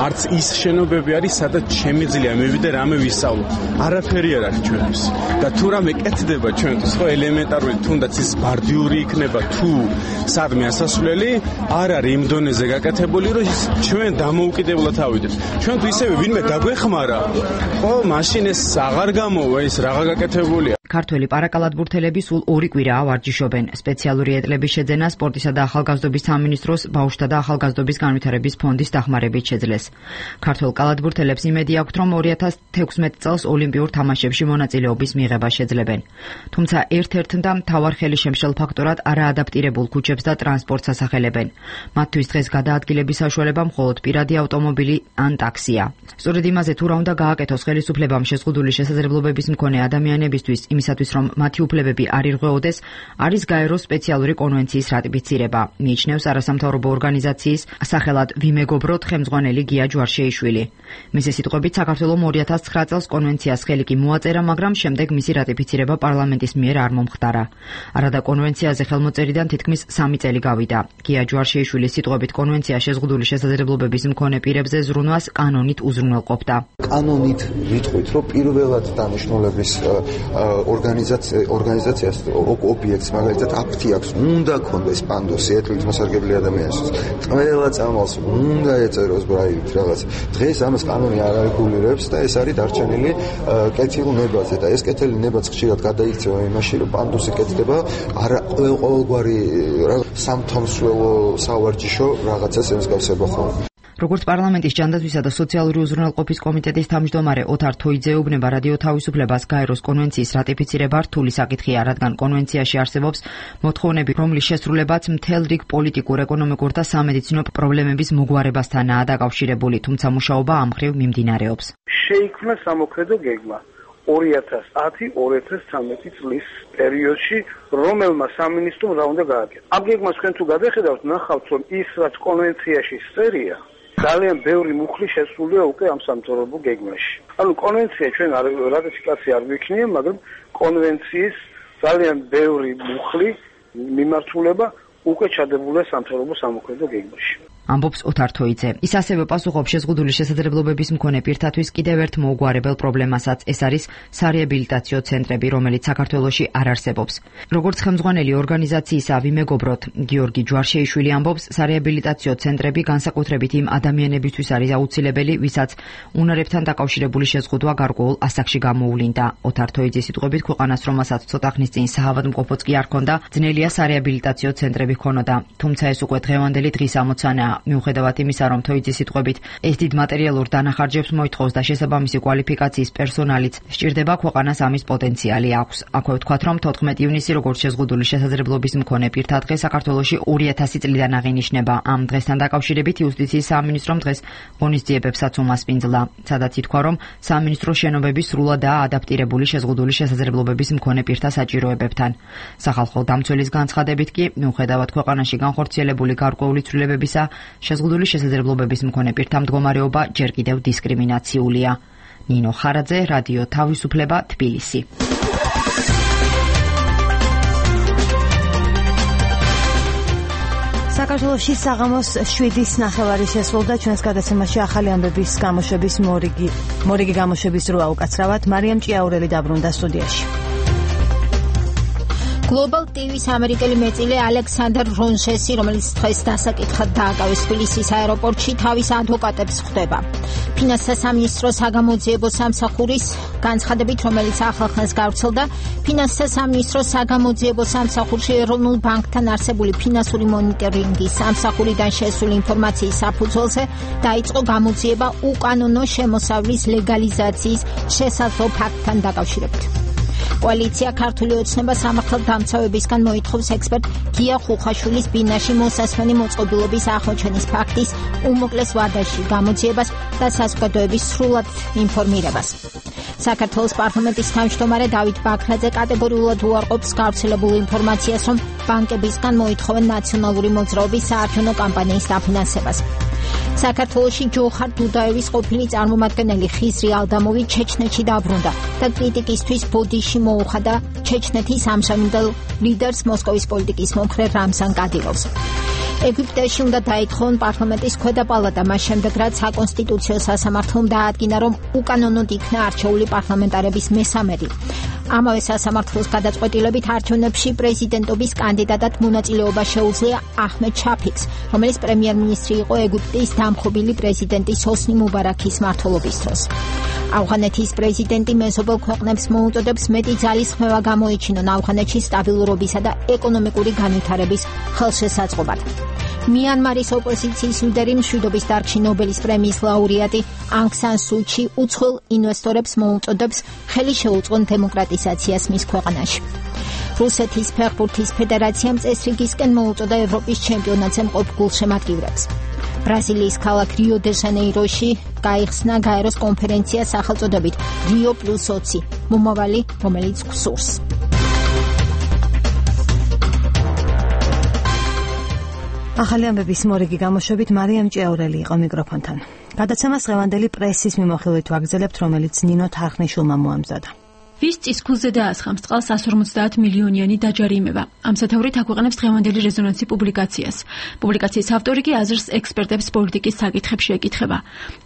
არც ის შენობები არის, სადაც შემიძლია მივიდე რამე ვისწავლო. არაფერი არ არის ჩვენთვის. და თუ რამე კეთდება ჩვენთვის, ხო, ელემენტარული, თუნდაც ის ბარდიური იქნება თუ სადმე ასასვლელი, არ არის იმ დონეზე გაკეთებული, რომ ჩვენ დამოუკიდებლად ავიდეთ. ჩვენ თუ ისევე ვინმე დაგვეხმარა, ხო, მაშინ ეს აღარ გამოვა ის რაღა გაკეთებულია. ქართველი პარაკალათბურთელები სულ ორი კვირაა ვარჯიშობენ. სპეციალური ეტლების შეძენა სპორტისა და ახალგაზრდობის სამინისტროს ბავშვთა და ახალგაზრდობის განვითარების ფონდის დახმარებით შეძლეს. ქართველ კალათბურთელებს იმედი აქვთ, რომ ორი ათას თექვსმეტ წელს ოლიმპიურ თამაშებში მონაწილეობის მიღება შეძლებენ. თუმცა ერთ-ერთ და მთავარ ხელშემშელ ფაქტორად არაადაპტირებულ ქუჩებს და ტრანსპორტს ასახელებენ. მათთვის დღეს გადაადგილების საშუალება მხოლოდ პირადი ავტომობილი ან ტაქსია. სწორედ იმაზე თუ რა უნდა გააკეთოს ხელისუფლებამ შეზღუდული შესაძლებლობების მქონე ადამიანებისთვის, იმისათვის რომ მათი უფლებები არ ირღვეოდეს, არის გაეროს სპეციალური კონვენციის რატიფიცირება. მიიჩნევს არასამთავრობო ორგანიზაციის სახელად ვიმეგობროთ ხელმძღვანელი გია ჯვარშეიშვილი. მისი სიტყვებით საქართველოს ორი ათას ცხრა წელს კონვენციას ხელი კი მოაწერა, მაგრამ შემდეგ მისი რატიფიცირება პარლამენტის მიერ არ მომხდარა. არადა კონვენციაზე ხელმოწერიდან თითქმის სამი წელი გავიდა. გია ჯვარშეიშვილის სიტყვებით კონვენცია შეზღუდული შესაძლებლობების მქონე პირებზე ზრუნვას კანონით უზრუნველყოფდა. კანონით ვიტყვით, რომ პირველად დანიშნულების ორგანიზაციას ობიექტს მაგალითად აფთი აქვს, უნდა ქონდეს პანდოსი ეთლით მოსარგებლე ადამიანისთვის. ყველა წამალს უნდა ეწეროს ბრაილით რაღაც. დღეს ამას კანონი არ არეგულირებს და ეს არის დარჩენილი კეთილ ნებაზე და ეს კეთილი ნებაც ხშირად გადაიქცევა იმაში, რომ პანდოსი კეთდება არა ყოველგვარი სამთამსვლელო სავარჯიშო რაღაცას ემსგავსება ხოლმე. როგორც პარლამენტის ჯანდაცვისა და სოციალური უზრუნველყოფის კომიტეტის თავმჯდომარე ოთარ თოიძე ეუბნება რადიო თავისუფლებას, გაეროს კონვენციის რატიფიცირება რთული საკითხია, რადგან კონვენციაში არსებობს მოთხოვნები, რომლის შესრულებაც მთელ რიგ პოლიტიკურ, ეკონომიკურ და სამედიცინო პრობლემების მოგვარებასთანაა დაკავშირებული, თუმცა მუშაობა ამ მხრივ მიმდინარეობს. შეიქმნა სამოქმედო გეგმა ორი ათას ათი ორი ათას ცხრამეტი წლის პერიოდში, რომელმა სამინისტრომ რა უნდა გააკეთა. ამ გეგმას თქვენ თუ გადახედავთ, ნახავთ, რომ ის რაც კონვენციაში წერია, ძალიან ბევრი მუხლი შესულია უკვე ამ სამთავრობო გეგმაში. ანუ კონვენცია ჩვენ რატიფიკაცია არ გვიქნია, მაგრამ კონვენციის ძალიან ბევრი მუხლი მიმართულება უკვე ჩადებულია სამთავრობო სამოქმედო გეგმაში. ამბობს ოთარ თოიძე. ის ასევე პასუხობს შეზღუდული შესაძლებლობების მქონე პირთათვის კიდევ ერთ მოუგვარებელ პრობლემასაც, ეს არის სარეაბილიტაციო ცენტრები, რომელიც საქართველოში არ არსებობს. როგორც ხელმძღვანელი ორგანიზაციისა ვიმეგობროთ გიორგი ჯვარშეიშვილი ამბობს, სარეაბილიტაციო ცენტრები განსაკუთრებით იმ ადამიანებისთვის არის აუცილებელი, ვისაც უნარებთან დაკავშირებული შეზღუდვა გარკვეულ ასაკში გამოუვლინდა. ოთარ თოიძის სიტყვებით, ქვეყანას, რომელსაც ცოტა ხნის წინ საავადმყოფოც კი არ ჰქონდა, ძნელია სარეაბილიტაციო ცენტრები ჰქონოდა. თუმცა ეს უკვე დღევანდელი დღის ამოცანაა. მიუხედავად იმისა, რომ თოიძის სიტყვებით ეს დიდ მატერიალურ დანახარჯებს მოითხოვს და შესაბამისი კვალიფიკაციის პერსონალიც სჭირდება, ქვეყანას ამის პოტენციალი აქვს. აქვე ვთქვათ, რომ თოთხმეტი ივნისი როგორც შეზღუდული შესაძლებლობის მქონე პირთა დღე საქართველოში ორი ათასი წლიდან აღინიშნება. ამ დღესთან დაკავშირებით იუსტიციის სამინისტრომ დღეს ღონისძიებებსაც უმასპინძლა, სადაც ითქვა, რომ სამინისტრო შენობების სრულადაა ადაპტირებული შეზღუდული შესაძლებლობების მქონე პირთა საჭიროებებთან. სახალხო დამცველის განცხადებით კი, მიუხედავად ქვეყანაში განხორციელებული გარკვეული ცვლილებებისა, შეზღუდული შესაძლებლობების მქონე პირთა მდგომარეობა ჯერ კიდევ დისკრიმინაციულია. ნინო ხარაძე, რადიო თავისუფლება, თბილისი. საქართველოში საღამოს შვიდის ნახევარი შესრულდა. ჩვენს გადაცემაში ახალი ამბების გამოშვების მორიგი მორიგი გამოშვების დროა უკაცრავად. მარიამ ჭიაურელი დაბრუნდა სტუდიაში. Global ტივის ამერიკელი მეწილე ალექსანდრ რონჟესი, რომელიც დღეს დასაკითხად დააკავეს თბილისის აეროპორტში, თავის ადვოკატებს ხვდება. ფინანსთა სამინისტროს საგამოძიებო სამსახურის განცხადებით, რომელიც ახალხანს გავრცელდა, ფინანსთა სამინისტროს საგამოძიებო სამსახურში ეროვნულ ბანკთან არსებული ფინანსური მონიტორინგის სამსახურიდან შესული ინფორმაციის საფუძველზე დაიწყო გამოძიება უკანონო შემოსავლის ლეგალიზაციის შესაძლო ფაქტთან დაკავშირებით. კოალიცია ქართული ოცნება სამართალდამცავებისგან მოითხოვს ექსპერტ გია ხუხაშვილის ბინაში მოსასმენი მოწყობილობის აღმოჩენის ფაქტის უმოკლეს ვადაში გამოძიებას და საზოგადოების სრულად ინფორმირებას. საქართველოს პარლამენტის თავმჯდომარე დავით ბაქრაძე კატეგორიულად უარყოფს გავრცელებულ ინფორმაციას, რომ ბანკებისგან მოითხოვენ ნაციონალური მოძრაობის საარჩევნო კამპანიის დაფინანსებას. საქართველოში ჯოხარ დუდაევის ყოფილი წარმომადგენელი ხიზრი ალდამოვი ჩეჩნეთში დაბრუნდა და კრიტიკისთვის ბოდიში მოუხადა ჩეჩნეთის ამჟამინდელ ლიდერს მოსკოვის პოლიტიკის მომხრე რამზან კადილოვს. ეგვიპტეში უნდა დაითხოვონ პარლამენტის ქვედა პალატა, მას შემდეგ რაც საკონსტიტუციო სასამართლომ დაადგინა, რომ უკანონოდ იქნა არჩეული პარლამენტარების მესამედი. ამავე სასამართლოს გადაწყვეტილებით არჩევნებში პრეზიდენტობის კანდიდატად მონაწილეობა შეუძლია აჰმედ შაფიქს, რომელიც პრემიერ-მინისტრი იყო ეგვიპტის დამხობილი პრეზიდენტის ჰოსნი მუბარაქის მმართველობის დროს. ავღანეთის პრეზიდენტი მეზობელ ქვეყნებს მოუწოდებს მეტი ძალისხმევა გამოიჩინონ ავღანეთში სტაბილურობისა და ეკონომიკური განვითარების ხელშესაწყობად. მიანმარის ოპოზიციის ლიდერი მშვიდობის დარგში ნობელის პრემიის ლაურეატი ანგ სან სუ ჩი უცხოელ ინვესტორებს მოუწოდებს ხელი შეუწყონ დემოკრატიზაციას მის ქვეყანაში. რუსეთის ფეხბურთის ფედერაციამ წესრიგისკენ მოუწოდა ევროპის ჩემპიონატზე მყოფ გულშემატკივრებს. ბრაზილიის ქალაქ რიო დე ჟანეიროში გაიხსნა გაეროს კონფერენცია სახელწოდებით რიო პლუს ოცი, მომავალი, რომელიც გსურს. ახალი ამბების მორიგი გამოშვებით მარიამ ჭიაურელი იყო მიკროფონთან. გადაცემას დღევანდელი პრესის მიმოხილვით ვაგრძელებთ, რომელიც ნინო თარხნიშვილმა მოამზადა. ვის წისქვილზე დაასხამს წყალს ას ორმოცდაათ მილიონიანი დაჯარიმება. ამ სათაურით აქვეყნებს დღევანდელი რეზონანსი პუბლიკაციას. პუბლიკაციის ავტორი კი აზრს ექსპერტებს პოლიტიკის საკითხებში ეკითხება.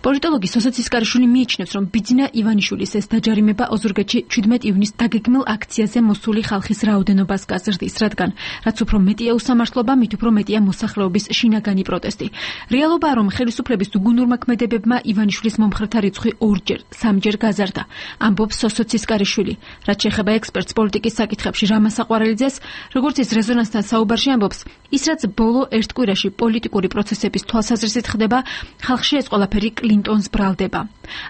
პოლიტოლოგი სოსო ცისკარიშვილი მიიჩნევს, რომ ბიძინა ივანიშვილის ეს დაჯარიმება ოზურგეთში შვიდმეტი ივნის დაგეგმილ აქციაზე მოსული ხალხის რაოდენობას გაზრდის, რადგან რაც უფრო მეტია უსამართლობა, მით უფრო მეტია მოსახლეობის შინაგანი პროტესტი. რეალობაა, რომ ხელისუფლების უგუნურმა ქმედებებმა ივანიშვილის მომხრეთა რიცხვი ორჯერ, სამჯერ გაზარდა. ამბობს სოსო ცისკარიშვილი. რაც შეეხება ექსპერტს პოლიტიკის საკითხებში რამაზ საყვარელიძეს, როგორც ის რეზონანსთან საუბარში ამბობს, ის რაც ბოლო ერთ კვირაში პოლიტიკური პროცესების თვალსაზრისით ხდება, ხალხში ეს ყველაფერი კლინტონს ბრალდება.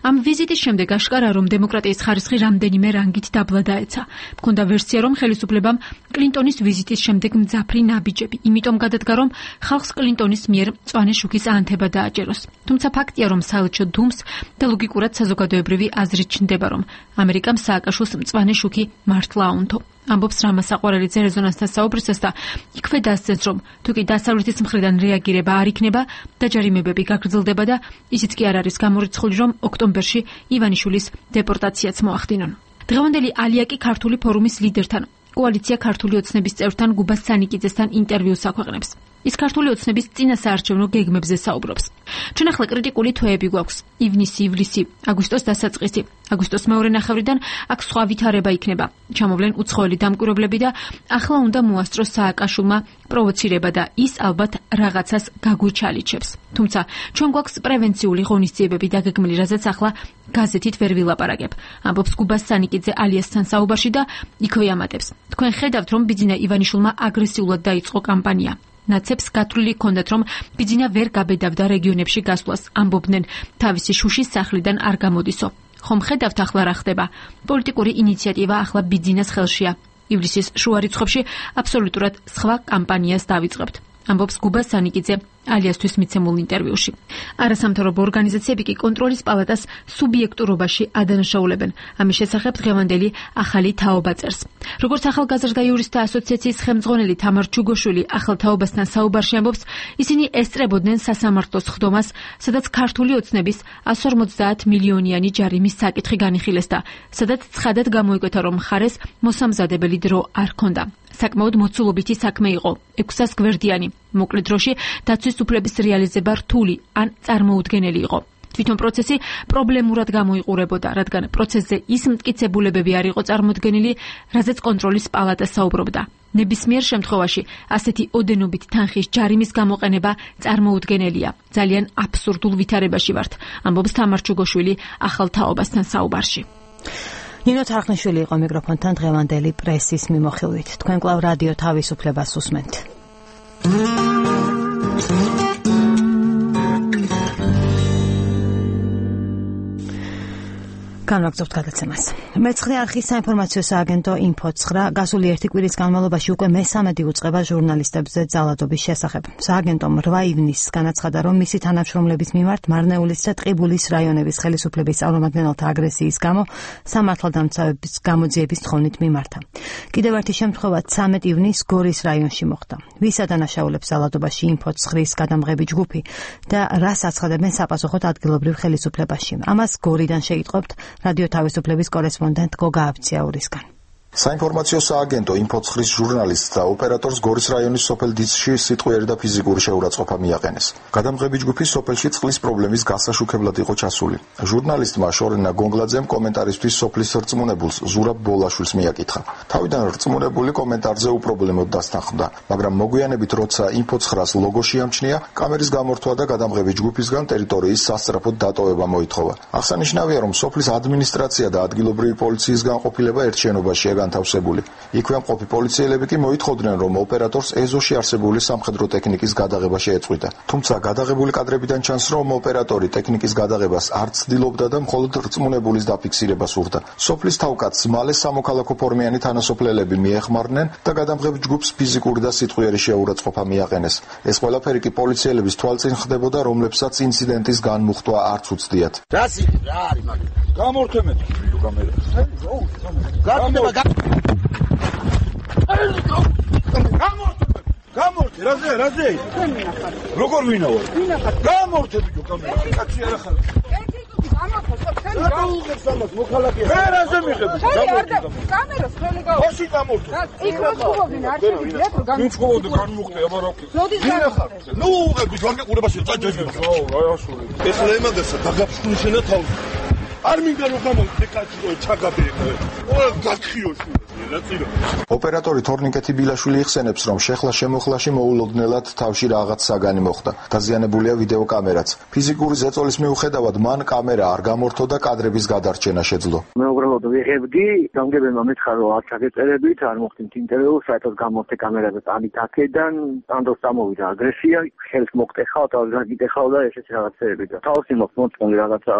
ამ ვიზიტის შემდეგ აშკარაა, რომ დემოკრატიის ხარისხი რამდენიმე რანგით დაბლა დაეცა. მქონდა ვერსია, რომ ხელისუფლებამ კლინტონის ვიზიტის შემდეგ მძაფრი ნაბიჯები, იმიტომ გადადგა, რომ ხალხს კლინტონის მიერ მწვანე შუქის ანთება დააჭეროს. თუმცა ფაქტია, რომ საელჩო დუმს და ლოგიკურად საზოგადოებრივი აზრით ჩნდება, რომ ამერიკამ სააკაშვილს მწვანე შუქი მართლა აუნთო. ამბობს რამაზ საყვარელიძე რეზონანსთან საუბრისას და იქვე დასცენს, რომ თუ კი დასავლეთის მხრიდან რეაგირება არ იქნება, დაჯარიმებები გაგრძელდება და ისიც კი არ არის გამორიცხული, რომ ოქტომბერში ივანიშვილის დეპორტაციაც მოახდინონ. დღევანდელი ალიაკი ქართული ფორუმის ლიდერთან, კოალიცია ქართული ოცნების წევრთან გუბას სანიკიძესთან ინტერვიუს აქვეყნებს. ის ქართული ოცნების წინასაარჩევნო გეგმებზე საუბრობს. ჩვენ ახლა კრიტიკული თვეები გვაქვს. ივნისი, ივლისი, აგვისტოს დასაწყისი. აგვისტოს მეორე ნახევრიდან აქ სხვა ვითარება იქნება. ჩამოვლენ უცხოელი დამკვირვებლები და ახლა უნდა მოასწროს სააკაშვილმა პროვოცირება და ის ალბათ რაღაცას გაგვიჩალიჩებს. თუმცა ჩვენ გვაქვს პრევენციული ღონისძიებები დაგეგმილი, რაზეც ახლა გაზეთით ვერ ვილაპარაკებ. ამბობს გუბას სანიკიძე ალიასთან საუბარში და იქვე ამატებს. თქვენ ხედავთ, რომ ბიძინა ივანიშვილმა აგრესიულად დაიწყო კამპანია. ნაცებს გათვლილი ჰქონდათ, რომ ბიძინა ვერ გაბედავდა რეგიონებში გასვლას, ამბობდნენ თავისი შუშის სახლიდან არ გამოდისო. ხომ ხედავთ ახლა რა ხდება? პოლიტიკური ინიციატივა ახლა ბიძინას ხელშია. ივლისის შუა რიცხვებში აბსოლუტურად სხვა კამპანიას დავიწყებთ. ამბობს გუბა სანიკიძე ალიასთვის მიცემულ ინტერვიუში. არასამთავრობო ორგანიზაციები კი კონტროლის პალატას სუბიექტურობაში ადანაშაულებენ. ამის შესახებ დღევანდელი ახალი თაობა წერს. როგორც ახალგაზრდა იურისტთა ასოციაციის ხელმძღვანელი თამარ ჩუგოშვილი ახალ თაობასთან საუბარში ამბობს, ისინი ესწრებოდნენ სასამართლოს ხდომას, სადაც ქართული ოცნების εκατს ორმოცდაათ მილიონიანი ჯარიმის საკითხი განიხილეს და სადაც ცხადად გამოიკვეთა, რომ მხარეს მოსამზადებელი დრო არ ჰქონდა. საკმაოდ მოცულობითი საქმე იყო, ექვსას გვერდიანი. მოკლე დროში დაცვის უფლების რეალიზება რთული ან წარმოუდგენელი იყო. თვითონ პროცესი პრობლემურად გამოიყურებოდა, რადგან პროცესზე ის მტკიცებულებები არ იყო წარმოდგენილი, რაზეც კონტროლის პალატა საუბრობდა. ნებისმიერ შემთხვევაში ასეთი ოდენობით თანხის ჯარიმის გამოყენება წარმოუდგენელია. ძალიან აბსურდულ ვითარებაში ვართ, ამბობს თამარ ჩუგოშვილი ახალ თაობასთან საუბარში. ნინო თარხნიშვილი იყო მიკროფონთან დღევანდელი პრესის მიმოხილვით. თქვენ კვლავ რადიო თავისუფლებას უსმენთ. განვაგრძობთ გადაცემას. მეცხრე არხის საინფორმაციო სააგენტო ინფო ცხრა გასული ერთი კვირის განმავლობაში უკვე მესამედი უწყება ჟურნალისტებზე ძალადობის შესახებ. სააგენტომ რვა ივნისს განაცხადა, რომ მისი თანამშრომლების მიმართ მარნეულის და ტყიბულის რაიონების ხელისუფლების წარმომადგენელთა აგრესიის გამო სამართალდამცავების გამოძიების თხოვნით მიმართა. კიდევ ერთი შემთხვევა ცამეტ ივნისს გორის რაიონში მოხდა. ვის ადანაშაულებს ძალადობაში ინფო ცხრის გადამღები ჯგუფი და რას აცხადებენ საპასუხოდ ადგილობრივ ხელისუფლებაში. ამას გორიდან შეიტყობთ რადიო თავისუფლების კორესპონდენტ გოგა აბციაურისგან. საინფორმაციო სააგენტო ინფო ცხრის ჟურნალისტს და ოპერატორს გორის რაიონის სოფელ დიცში სიტყვიერი და ფიზიკური შეურაცხყოფა მიაყენეს. გადამღები ჯგუფი სოფელში წყლის პრობლემის გასაშუქებლად იყო ჩასული. ჟურნალისტმა შორენა გონგლაძემ კომენტარისთვის სოფლის რწმუნებულს ზურაბ ბოლაშვილს მიაკითხა. თავიდან რწმუნებული კომენტარზე უპრობლემოდ დასთანხმდა, მაგრამ მოგვიანებით როცა ინფო ცხრას ლოგო შეამჩნია, კამერის გამორთვა და გადამღები ჯგუფისგან ტერიტორიის სასწრაფოდ დატოვება მოითხოვა. აღსანიშნავია, რომ სოფლის ადმინისტრაცია და ადგილობრივი პოლიციის განყოფილება ერთ შენობაშია განთავსებული. იქვე მყოფი პოლიციელები კი მოითხოვდნენ, რომ ოპერატორს ეზოში არსებული სამხედრო ტექნიკის გადაღება შეეწყვიტა. თუმცა გადაღებული კადრებიდან ჩანს, რომ ოპერატორი ტექნიკის გადაღებას არ ცდილობდა და მხოლოდ რწმუნებულის დაფიქსირება სურდა. სოფლის თავკაცს მალე სამოქალაქო ფორმიანი თანასოფლელები მიეხმარნენ და გადამღებ ჯგუფს ფიზიკური და სიტყვიერი შეურაცხყოფა მიაყენეს. ეს ყველაფერი კი პოლიციელების თვალწინ ხდებოდა, რომლებსაც ინციდენტის განმუხტვა არც უცდიათ. რა არის მაგ? გამორთმეთ კამერა. გაკეთება გამორთე, რაზე, რაზე? როგორ ვინავარ? გამორთე ბიჭო კამერა. კაცი არა ხარ. გამორთე, სამას მოქალაქეა. მე რაზე მიღებ? გამორთე. კამერას ხელი გავა. ოში გამორთე. იქ რო ხუბობინ არ შეგიძლიათ რომ გამორთე. ვიწყობდი განმუხტე, აბა რა ქვია. ვინ ხარ? ნუ უღები ვარგეყურებაში წაჯაჯი. ხო, რა ასული. ეხლა ემაგასა დაგაფშნუშენა თავს. არ მინდა რომ გამოვიდე კაცი რო ჩაგაბერე. ყველა გაქხიოში. ოპერატორი თორნიკეთი ბილაშვილი იხსენებს, რომ შეხლა შემოხლაში მოულოდნელად თავში რაღაც საგანი მოხდა. დაზიანებულია ვიდეო კამერაც. ფიზიკური ზეწოლის მიუხედავად მან კამერა არ გამორთო და კადრების გადარჩენა შეძლო. მე უბრალოდ ვიღებდი, გამგებელმა მითხრა, რომ არ ჩაგეწერებით, არ მოხდით ინტერვიუ, საერთოდ გამორთე კამერაზე ტანით აქედან, ანდოს დამოვიდა აგრესია, ხელს მოგტეხავ, თავი გაგიტეხავ და ესეთი რაღაცეები და თავში მოხმოწმული რაღაცა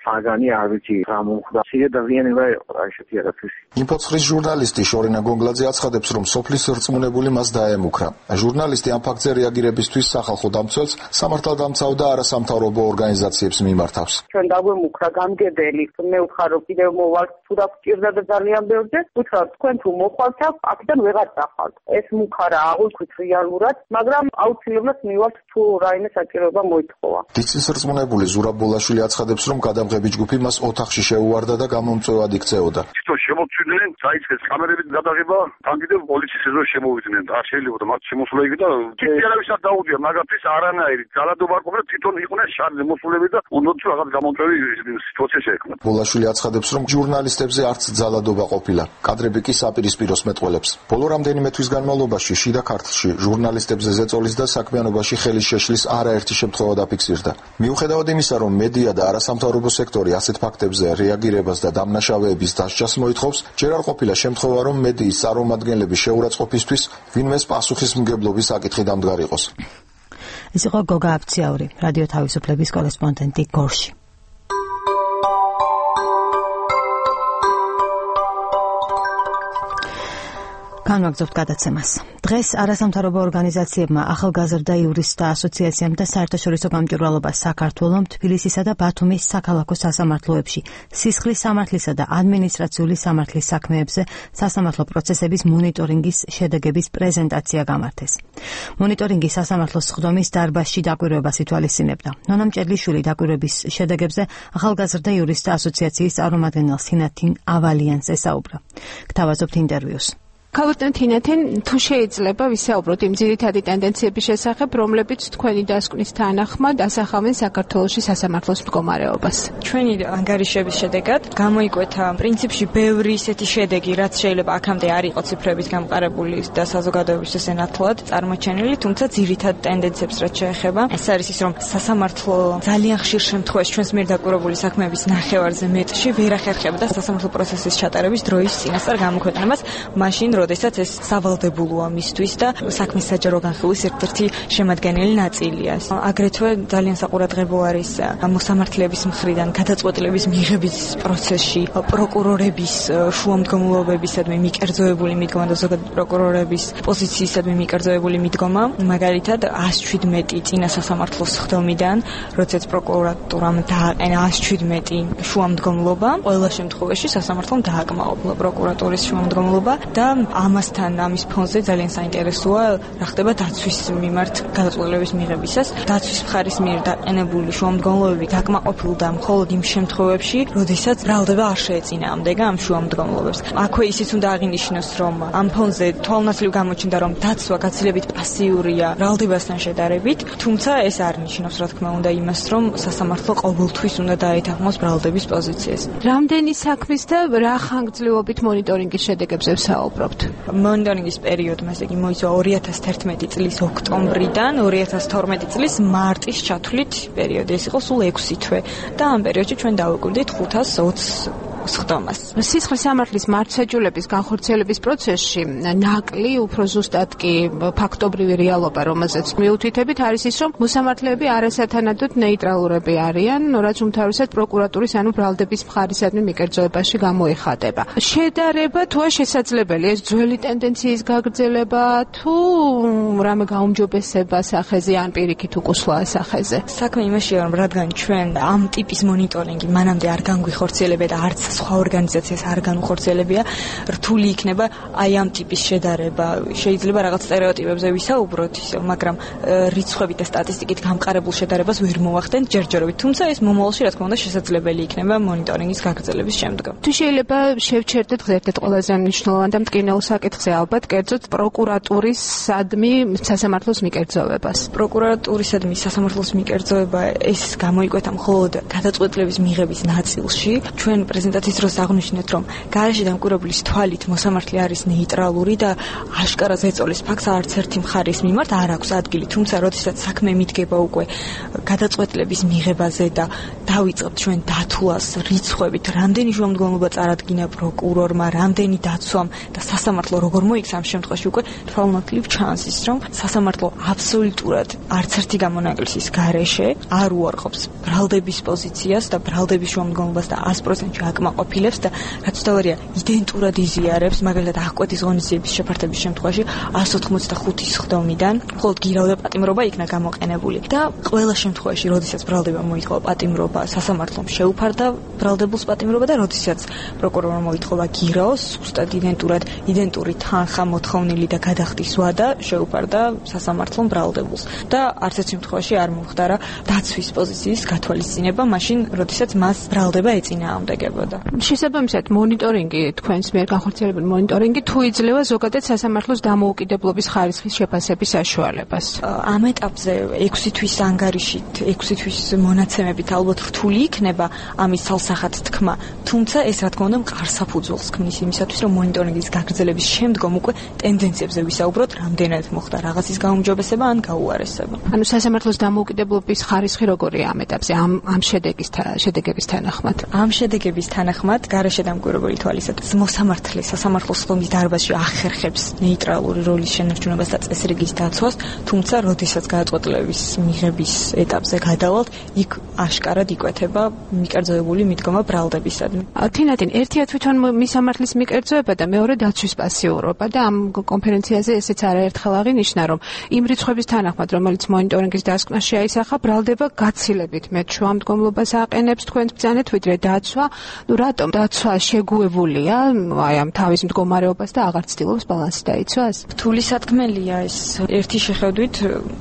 საგანი არ ვიცი რა მომხდა. სია დაზიანება იყო რა ესეთი რაღაცის. ინფო ცხრის ჟურნალისტი შორენა გონგლაძე აცხადებს, რომ სოფლის რწმუნებული მას დაემუქრა. ჟურნალისტი ამ ფაქტზე რეაგირებისთვის სახალხო დამცველს, სამართალდამცავ და არასამთავრობო ორგანიზაციებს მიმართავს. ჩვენ დაგვემუქრა გამგებელი, მე ვუთხარ, რომ კიდევ მოვალ თუ და გჭირდა და ძალიან ბევრზე, ვუთხარ, თქვენ თუ მოხვალთ, აქედან ვეღარ წახვალთ. ეს მუქარა აღვიქვით რეალურად, მაგრამ აუცილებლად მივალთ თუ რაიმე საჭიროება მოითხოვა. დიცის რწმუნებული ზურაბ ბოლაშვილი აცხადებს, რომ გადამღები ჯგუფი მას ოთახში შეუვარდა და გამომწვევად იქცეოდა. თვითონ შემოწვიდნენ, დაიწყეს კამერებით გადაღება თან კიდევ პოლიციის ეზოში შემოვიდნენ და არ შეიძლება მათ შემოსულა იგი და თითქოსად დაუდია მაგათთვის არანაირი ძალადობა არ ყოფილა თვითონ იყვნენ შარზე მოსულები და უნდათ რაღაც გამომწვევი სიტუაცია შეექმნათ. ბოლაშვილი აცხადებს, რომ ჟურნალისტებზე არც ძალადობა ყოფილა. კადრები კი საპირისპიროს მეტყველებს. ბოლო რამდენიმე თვის განმავლობაში შიდა ქართლში ჟურნალისტებზე ზეწოლის და საქმიანობაში ხელის შეშლის არაერთი შემთხვევა დაფიქსირდა. მიუხედავად იმისა, რომ მედია და არასამთავრობო სექტორი ასეთ ფაქტებზე რეაგირებას და დამნაშავეების დასჯას მოითხოვს, ჯერ არ ყოფილა შემთხვევა, რომ მედიის წარმომადგენლების შეურაცხყოფისთვის ვინმეს პასუხისმგებლობის საკითხი დამდგარ იყოს. ეს იყო გოგა აფციაური, რადიო თავისუფლების კორესპონდენტი გორში. განვაგრძობთ გადაცემას. დღეს არასამთავრობო ორგანიზაციებმა, ახალგაზრდა იურისტთა ასოციაციამ და საერთაშორისო გამჭვირვალობა საქართველოს თბილისისა და ბათუმის საქალაქო სასამართლოებში სისხლის სამართლისა და ადმინისტრაციული სამართლის საქმეებზე სასამართლო პროცესების მონიტორინგის შედეგების პრეზენტაცია გამართეს. მონიტორინგი სასამართლოს სხდომის დარბაზში დაკვირვებას ითვალისწინებდა. ნონა მჭედლიშვილი დაკვირვების შედეგებზე ახალგაზრდა იურისტთა ასოციაციის წარმომადგენელ სინათინ ავალიანს ესაუბრა. გთავაზობთ ინტერვიუს. ქალბატონ თინათინ, თუ შეიძლება ვისაუბროთ იმ ძირითადი ტენდენციების შესახებ, რომლებიც თქვენი დასკვნის თანახმად ასახავენ საქართველოში სასამართლოს მდგომარეობას. ჩვენი ანგარიშების შედეგად გამოიკვეთა პრინციპში ბევრი ისეთი შედეგი, რაც შეიძლება აქამდე არ იყო ციფრებით გამყარებული და საზოგადოებისთვის ენათლად წარმოჩენილი, თუმცა ძირითად ტენდენციებს რაც შეეხება, ეს არის ის, რომ სასამართლო ძალიან ხშირ შემთხვევაში ჩვენს მიერ დაკვირვებული საქმეების ნახევარზე მეტში ვერ ახერხებდა სასამართლო პროცესის ჩატარების დროის წინასწარ გამოქვეყნებას, მაშინ როდესაც ეს სავალდებულოა მისთვის და საქმის საჯარო განხილვის ერთ-ერთი შემადგენელი ნაწილია. აგრეთვე ძალიან საყურადღებო არის მოსამართლეების მხრიდან გადაწყვეტილების მიღების პროცესში პროკურორების შუამდგომლობებისადმი მიკერძოებული მიდგომა და ზოგადად პროკურორების პოზიციისადმი მიკერძოებული მიდგომა, მაგალითად ას შვიდმეტი წინა სასამართლოს სხდომიდან, როდესაც პროკურატურამ დააყენა ას შვიდმეტი შუამდგომლობა, ყველა შემთხვევაში სასამართლომ დააკმაყოფილა პროკურატურის შუამდგომლობა და ამასთან ამის ფონზე ძალიან საინტერესოა რა ხდება დაცვის მიმართ გადაწყვეტილების მიღებისას. დაცვის მხარის მიერ დაყენებული შუამდგომლობები დაკმაყოფილდა მხოლოდ იმ შემთხვევებში, როდესაც ბრალდება არ შეეწინააღმდეგა ამ შუამდგომლობებს. აქვე ისიც უნდა აღინიშნოს, რომ ამ ფონზე თვალნათლივ გამოჩნდა, რომ დაცვა გაცილებით პასიურია ბრალდებასთან შედარებით, თუმცა ეს არ ნიშნავს, რა თქმა უნდა, იმას, რომ სასამართლო ყოველთვის უნდა დაეთანხმოს ბრალდების პოზიციას. რამდენი საქმის და რა ხანგრძლივობით მონიტორინგის შედეგებზე ვსაუბრობთ? მონიტორინგის პერიოდმა, ესე იგი, მოიცვა ორი ათას თერთმეტი წლის ოქტომბრიდან ორი ათას თორმეტი წლის მარტის ჩათვლით პერიოდი. ეს იყო სულ ექვსი თვე და ამ პერიოდში ჩვენ დავუკვირდით ხუთას ოცს სხდომას. სისხლის სამართლის მართლმსაჯულების განხორციელების პროცესში ნაკლი, უფრო ზუსტად კი ფაქტობრივი რეალობა, რომელზეც მიუთითებით, არის ის, რომ მოსამართლეები არასათანადოდ ნეიტრალურები არიან, რაც უმთავრესად პროკურატურის ანუ ბრალდების მხარისადმი მიკერძოებაში გამოიხატება. შედარება თუა შესაძლებელი ეს ძველი ტენდენციის გაგრძელება თუ რამე გაუმჯობესება სახეზე ან პირიქით უკუსვლა სახეზე? საქმე იმაშია, რომ რადგან ჩვენ ამ ტიპის მონიტორინგი მანამდე არ განგვიხორციელებია და არც სხვა ორგანიზაციას არ განუხორციელებია, რთული იქნება აი ამ ტიპის შედარება. შეიძლება რაღაც სტერეოტიპებზე ვისაუბროთ, მაგრამ რიცხვებით და სტატისტიკით გამყარებულ შედარებას ვერ მოვახდენთ ჯერჯერობით, თუმცა ეს მომავალში რა თქმა უნდა შესაძლებელი იქნება მონიტორინგის გაგრძელების შემდგომ. თუ შეიძლება შევჩერდეთ ერთ-ერთ ყველაზე მნიშვნელოვან და მტკინეულ საკითხზე, ალბათ კერძოდ პროკურატურის სადმი სასამართლოს მიკერძოვებას. პროკურატურისადმი სასამართლოს მიკერძოება ეს გამოიკვეთა მხოლოდ გადაწყვეტილების მიღების ნაწილში. ჩვენ პრეზენტაციის დროს აღნიშნეთ, რომ გარეშე დამკვირვებლის თვალით მოსამართლე არის ნეიტრალური და აშკარად ეწოლის ფაქტს არც ერთი მხარის მიმართ არ აქვს ადგილი, თუმცა როდესაც საქმე მიდგება უკვე გადაწყვეტილების მიღებაზე და დავიწყებთ ჩვენ დათვლას რიცხვებით, რამდენი შუამდგომლობა წარადგინა პროკურორმა, რამდენი დაცვამ და სასამართლო როგორ მოიქცა, ამ შემთხვევაში უკვე თვალნათლივ ჩანს ის, რომ სასამართლო აბსოლუტურად არც ერთი გამონაკლისის გარეშე არ უარყოფს ბრალდების პოზიციას და ბრალდების შუამდგომლობას და ას პროცენტში აკმაყოფილებს და რაც თავარია იდენტურად იზიარებს, მაგალითად აღკვეთის ღონისძიების შეფართების შემთხვევაში ას ოთხმოცდახუთი სხდომიდან მხოლოდ გირავდა პატიმრობა იქნა გამოყენებული და ყველა შემთხვევაში, როდესაც ბრალდება მოითხოვა პატიმრობა, სასამართლომ შეუფარდა ბრალდებულს პატიმრობა და როდესაც პროკურორმა მოითხოვა გირაოს, ზუსტად იდენტურად იდენტური თანხა მოთხოვნილი და გადახდის ვადა შეუფარდა სასამართლომ ბრალდებულს და არც ერთ შემთხვევაში არ მომხდარა დაცვის პოზიციის გათვალისწინება, მაშინ როდესაც მას ბრალდება ეწინააღმდეგებოდა. შესაბამისად, მონიტორინგი, თქვენს მიერ განხორციელებული მონიტორინგი თუ იძლევა ზოგადად სასამართლოს დამოუკიდებლობის ხარისხის შეფასების საშუალებას. ამ ეტაპზე ექვსი თვის ანგარიშით, ექვსი თვის მონაცემებით ალბათ რთული იქნება ამის ცალსახად თქმა, თუმცა ეს რა თქმა უნდა მყარ საფუძველს ქმნის იმისათვის, რომ მონიტორინგის გაგრძელების შემდგომ უკვე ტენდენციებზე ვისაუბროთ, რამდენად მოხდა რაღაცის გაუმჯობესება ან გაუარესება. ანუ სასამართლოს დამოუკიდებლობის ხარისხი როგორია ამ ეტაპზე, ამ ამ შედეგის შედეგების თანახმად? ამ შედეგების თანახმად გარშემოგვირებული თვალისათვის მოსამართლე სასამართლოს ხდომის დარბაზში ახერხებს ნეიტრალური როლის შენარჩუნებას და წესრიგის დაცვას, თუმცა როდესაც გადაწყვეტილების მიღების ეტაპზე გადავალთ, იქ აშკარად იკვეთება მიკერძოებული მიდგომა ბრალდებისადმი. თინათინ ერთია თვითონ მისამართლის მიკერძოება და მეორე დაცვის პასიურობა და ამ კონფერენციაზე ესეც არაერთხელ აღინიშნა, რომ იმ რიცხვების თანახმად, რომელიც მონიტორინგის დასკვნას შეაისახა, ბრალდება გაცილებით მეტ შუამდგომლობას აყენებს თქვენს ბრძანეთ, ვიდრე დაცვა. ნუ რატომ დაცვა შეგუებულია აი ამ თავის მდგომარეობას და აღარ ცდილობს ბალანსი დაიცვას? რთული სათქმელია ეს. ერთი შეხედვით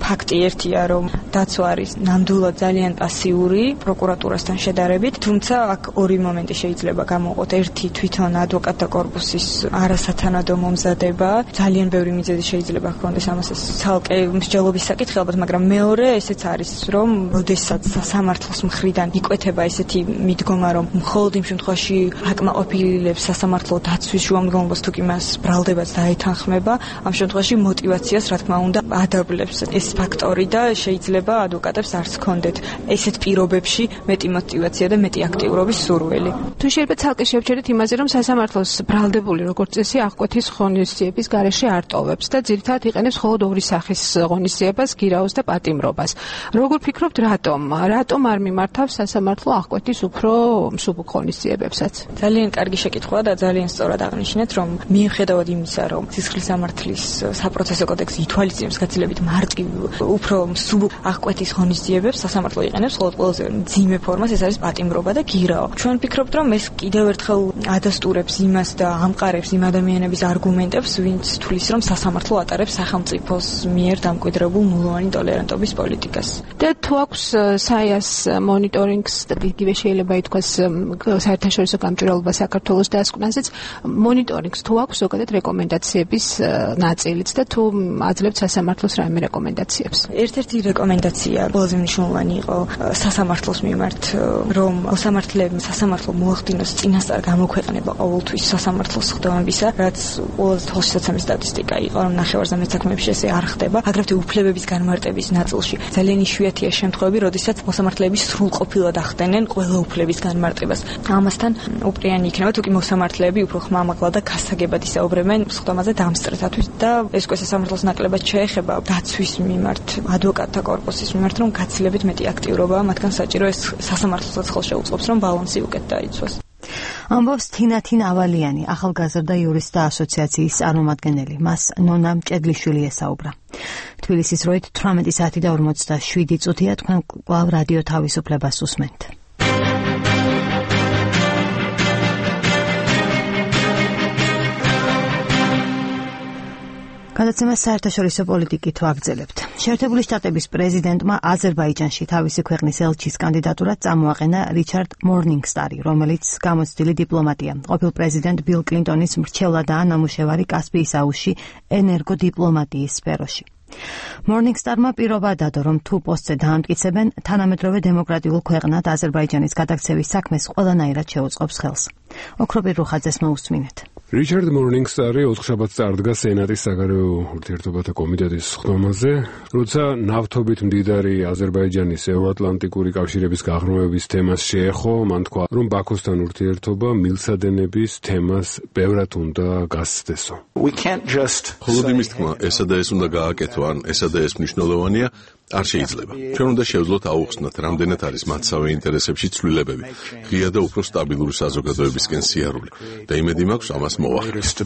ფაქტი ერთია, რომ დაცვა არის ნამდვილად ძალიან პასიური პროკურატურასთან შედარებით, თუმცა აქ ორი მომენტი შეიძლება გამოვყოთ. ერთი თვითონ ადვოკატთა კორპუსის არასათანადო მომზადება, ძალიან ბევრი მიზეზი შეიძლება ჰქონდეს ამას ეს ცალკე მსჯელობის საკითხი ალბათ, მაგრამ მეორე ესეც არის, რომ როდესაც სასამართლოს მხრიდან იკვეთება ესეთი მიდგომა, რომ მხოლოდ იმ შემთხვევაში აკმაყოფილებს სასამართლო დაცვის შუამდგომლობას თუ კი მას ბრალდებაც დაეთანხმება, ამ შემთხვევაში мотиваციას რა თქმა უნდა ადაბლებს ეს ფაქტორი და შეიძლება ადვოკატებს არც ჰქონდეთ ესეთ პირობებში მეტი мотиваცია და მეტი აქტიურობის სურვილი. თუ შეიძლება ცალკე შევჩერდეთ იმაზე, რომ სასამართლოს ბრალდებული როგორც წესი აღკვეთის ღონისძიების გარეშე არ ტოვებს და ძირითადად იყენებს მხოლოდ ორი სახის ღონისძიებას, გირაოს და პატიმრობას. როგორ ფიქრობთ, რატომ? რატომ არ მიმართავს სასამართლო აღკვეთის უფრო მსუბუქ ღონისძიებებსაც? ძალიან კარგი შეკითხვაა და ძალიან სწორად აღნიშნეთ, რომ მიუხედავად იმისა, რომ სისხლის სამართლის საპროცესო კოდექსი ითვალისწინებს გაცილებით მარტივ, უფრო მსუბუქ აღკვეთის ღონისძიებებს, სასამართლო იყენებს მხოლოდ ყველაზე მძიმე ფორმას, ეს არის პატიმრობა და გირაო. ჩვენ ვფიქრობთ, რომ ეს კიდევ ერთხელ ადასტურებს იმას და ამყარებს იმ ადამიანების არგუმენტებს, ვინც თვლის, რომ სასამართლო ატარებს სახელმწიფოს მიერ დამკვიდრებულ ნულოვანი ტოლერანტობის პოლიტიკას. და თუ აქვს საიას მონიტორინგს და იგივე შეიძლება ითქვას საერთაშორისო გამჭვირვალობა საქართველოს დასკვნაზეც მონიტორინგს თუ აქვს ზოგადად რეკომენდაციების ნაწილიც და თუ აძლევთ სასამართლოს რაიმე რეკომენდაციებს? ერთ-ერთი რეკომენდაცია ყველაზე მნიშვნელოვანი იყო სასამართლოს მიმართ, რომ მოსამართლეებმა სასამართლო მოახდინოს წინასწარ გამოქვეყნება ყოველთვის სასამართლოს ხდომებისა, რაც ყველაზე თვალშისაცემი სტატისტიკა იყო, რომ ნახევარზე საქმეებში ესე არ ხდება. აგრეთვე უფლებების განმარტების ნაწილში ძალიან იშვიათია შემთხვევები, როდესაც მოსამართლეები სრულყოფილად ახდენენ ყველა უფლების განმარტებას. ამასთან უპრიანი იქნება, თუ კი მოსამართლეები უფრო ხმამაღლა და გასაგებად ისაუბრებენ სხდომაზე დამსწრეთათვის და ეს უკვე სასამართლოს ნაკლებად შეეხება დაცვის მიმართ, ადვოკატთა კორპუსის მიმართ, რომ გაცილებით მეტი აქტიურობაა მათგან საჭირო, ეს სასამართლოსაც ხელს შეუწყობს, რომ ბალანსი უკეთ დაიცვას. ამბობს თინათინ ავალიანი, ახალგაზრდა იურისტთა ასოციაციის წარმომადგენელი. მას ნონა მჭედლიშვილი ესაუბრა. თბილისის დროით თვრამეტი საათი და ორმოცდაშვიდი წუთია, თქვენ კვლავ რადიო თავისუფლებას უსმენთ. გადაცემა საერთაშორისო პოლიტიკით ვაგრძელებთ. შეერთებული შტატების პრეზიდენტმა აზერბაიჯანში თავისი ქვეყნის ელჩის კანდიდატურად წამოაყენა რიჩარდ მორნინგსტარი, რომელიც გამოცდილი დიპლომატია. ყოფილ პრეზიდენტ ბილ კლინტონის მრჩევლადაა ნამუშევარი კასპიის აუზში ენერგოდიპლომატიის სფეროში. მორნინგსტარმა პირობა დადო, რომ თუ პოსტზე დაამტკიცებენ, თანამედროვე დემოკრატიულ ქვეყნად აზერბაიჯანის გადაქცევის საქმეს ყველანაირად შეუწყობს ხელს. ოქროპირ რუხაძეს მოусმინეთ. რიჩარდ მორნინგსტარი ოთხშაბათს წარდგა სენატის საგარეო ურთიერთობათა კომიტეტის ხდომაზე, როცა ნავთობით მდიდარი აზერბაიჯანის ევროატლანტიკური კავშირების გაღრმავების თემას შეეხო, მან თქვა, რომ ბაქოსთან ურთიერთობა მილსადენების თემას ბევრად უნდა გასცდესო. მხოლოდ იმის თქმა, ესა და ეს უნდა გააკეთო, ან ესა და ეს მნიშვნელოვანია, არ შეიძლება. ჩვენ უნდა შევძლოთ აუხსნათ, რამდენად არის მათსავე ინტერესებში ცვლილებები, ღია და უფრო სტაბილური საზოგადოებისკენ სიარული და იმედი მაქვს ამას მოვახერხოთ.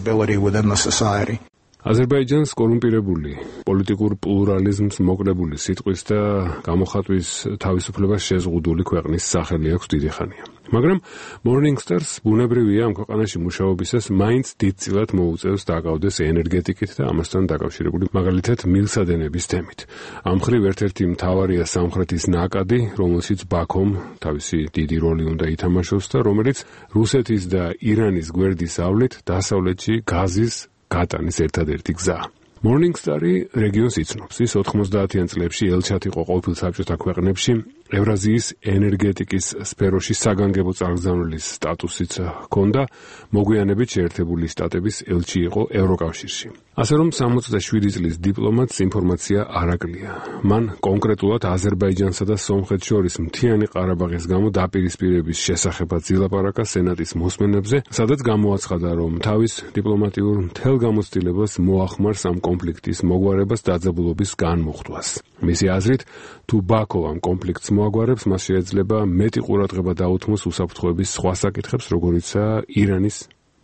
აზერბაიჯანს კორუმპირებული, პოლიტიკურ პლურალიზმს მოკრებული სიტყვის და გამოხატვის თავისუფლებას შეზღუდული ქვეყნის სახელი აქვს დიდი ხანია. მაგრამ Morning Stars ბუნებრივია ამ ქვეყანაში მუშაობისას მაინც დიდწილად მოუწევს დაკავდეს ენერგეტიკით და ამასთან დაკავშირებული მაგალითად მილსადენების თემით. ამ მხრივ ერთ-ერთი მთავარია სამხრეთის ნაკადი, რომელშიც ბაქომ თავისი დიდი როლი უნდა ითამაშოს და რომელიც რუსეთის და ირანის გვერდის ავლით დასავლეთში გაზის გატანის ერთადერთი გზაა. Morning Star-ი რეგიონს იცნობს. ის ოთხმოცდაათიან წლებში ელჩად იყო ყოფილ საბჭოთა ქვეყნებში, ევრაზიის ენერგეტიკის სფეროში საგანგებო წარგზავნილის სტატუსიც ჰქონდა, მოგვიანებით შეერთებული შტატების ელჩი იყო ევროკავშირში. ასე რომ სამოცდაშვიდი წლის დიპლომატს ინფორმაცია არ აკლია. მან კონკრეტულად აზერბაიჯანსა და სომხეთს შორის მთიანი ყარაბაღის გამო დაპირისპირების შესახებაც ილაპარაკა სენატის მოსმენებზე, სადაც გამოაცხადა, რომ თავის დიპლომატიურ მთელ გამოცდილებას მოახმარს ამ კონფლიქტის მოგვარებას დაძაბულობის განმუხტვას. მისი აზრით, თუ ბაქო ამ კონფლიქტს მოაგვარებს, მას შეიძლება მეტი ყურადღება დაუთმოს უსაფრთხოების სხვა საკითხებს, როგორიცაა ირანის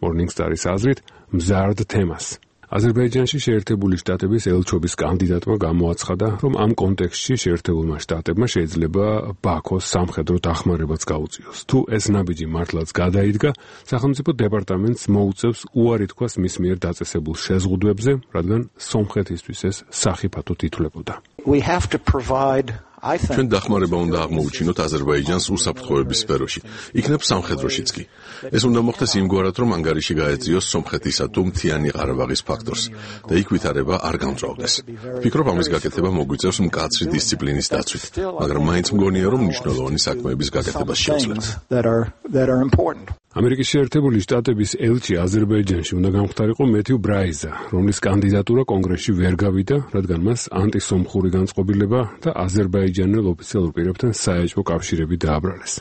Morning Star-ის აზრით, მზარდ თემას. აზერბაიჯანში შეერთებული შტატების ელჩობის კანდიდატმა გამოაცხადა, რომ ამ კონტექსტში შეერთებულმა შტატებმა შეიძლება ბაქოს სამხედრო დახმარებაც გაუწიოს. თუ ეს ნაბიჯი მართლაც გადაიდგა, სახელმწიფო დეპარტამენტს მოუწევს უარი თქვას მის მიერ დაწესებულ შეზღუდვებზე, რადგან სომხეთისთვის ეს სახიფათოდ ითვლებოდა. We have to provide ჩვენ დახმარება უნდა აღმოუჩინოთ აზერბაიჯანს უსაფრთხოების სფეროში, იქნებ სამხედროშიც კი. ეს უნდა მოხდეს იმგვარად, რომ ანგარიში გაეწიოს სომხეთისა თუ მთიანი ყარაბაღის ფაქტორს და იქ ვითარება არ გამწვავდეს. ვფიქრობ, ამის გაკეთება მოგვიწევს მკაცრი დისციპლინის დაცვით, მაგრამ მაინც მგონია, რომ მნიშვნელოვანი საქმეების გაკეთებას შეუძლებთ. ამერიკის შეერთებული შტატების ელჩი აზერბაიჯანში უნდა გამხდარიყო მეთიუ ბრაიზა, რომლის კანდიდატურა კონგრესში ვერ გავიდა, რადგან მას ანტისომხური განწყობილება და აზერბაიჯანელ ოფიციალურ პირებთან საეჭვო კავშირები დააბრალეს.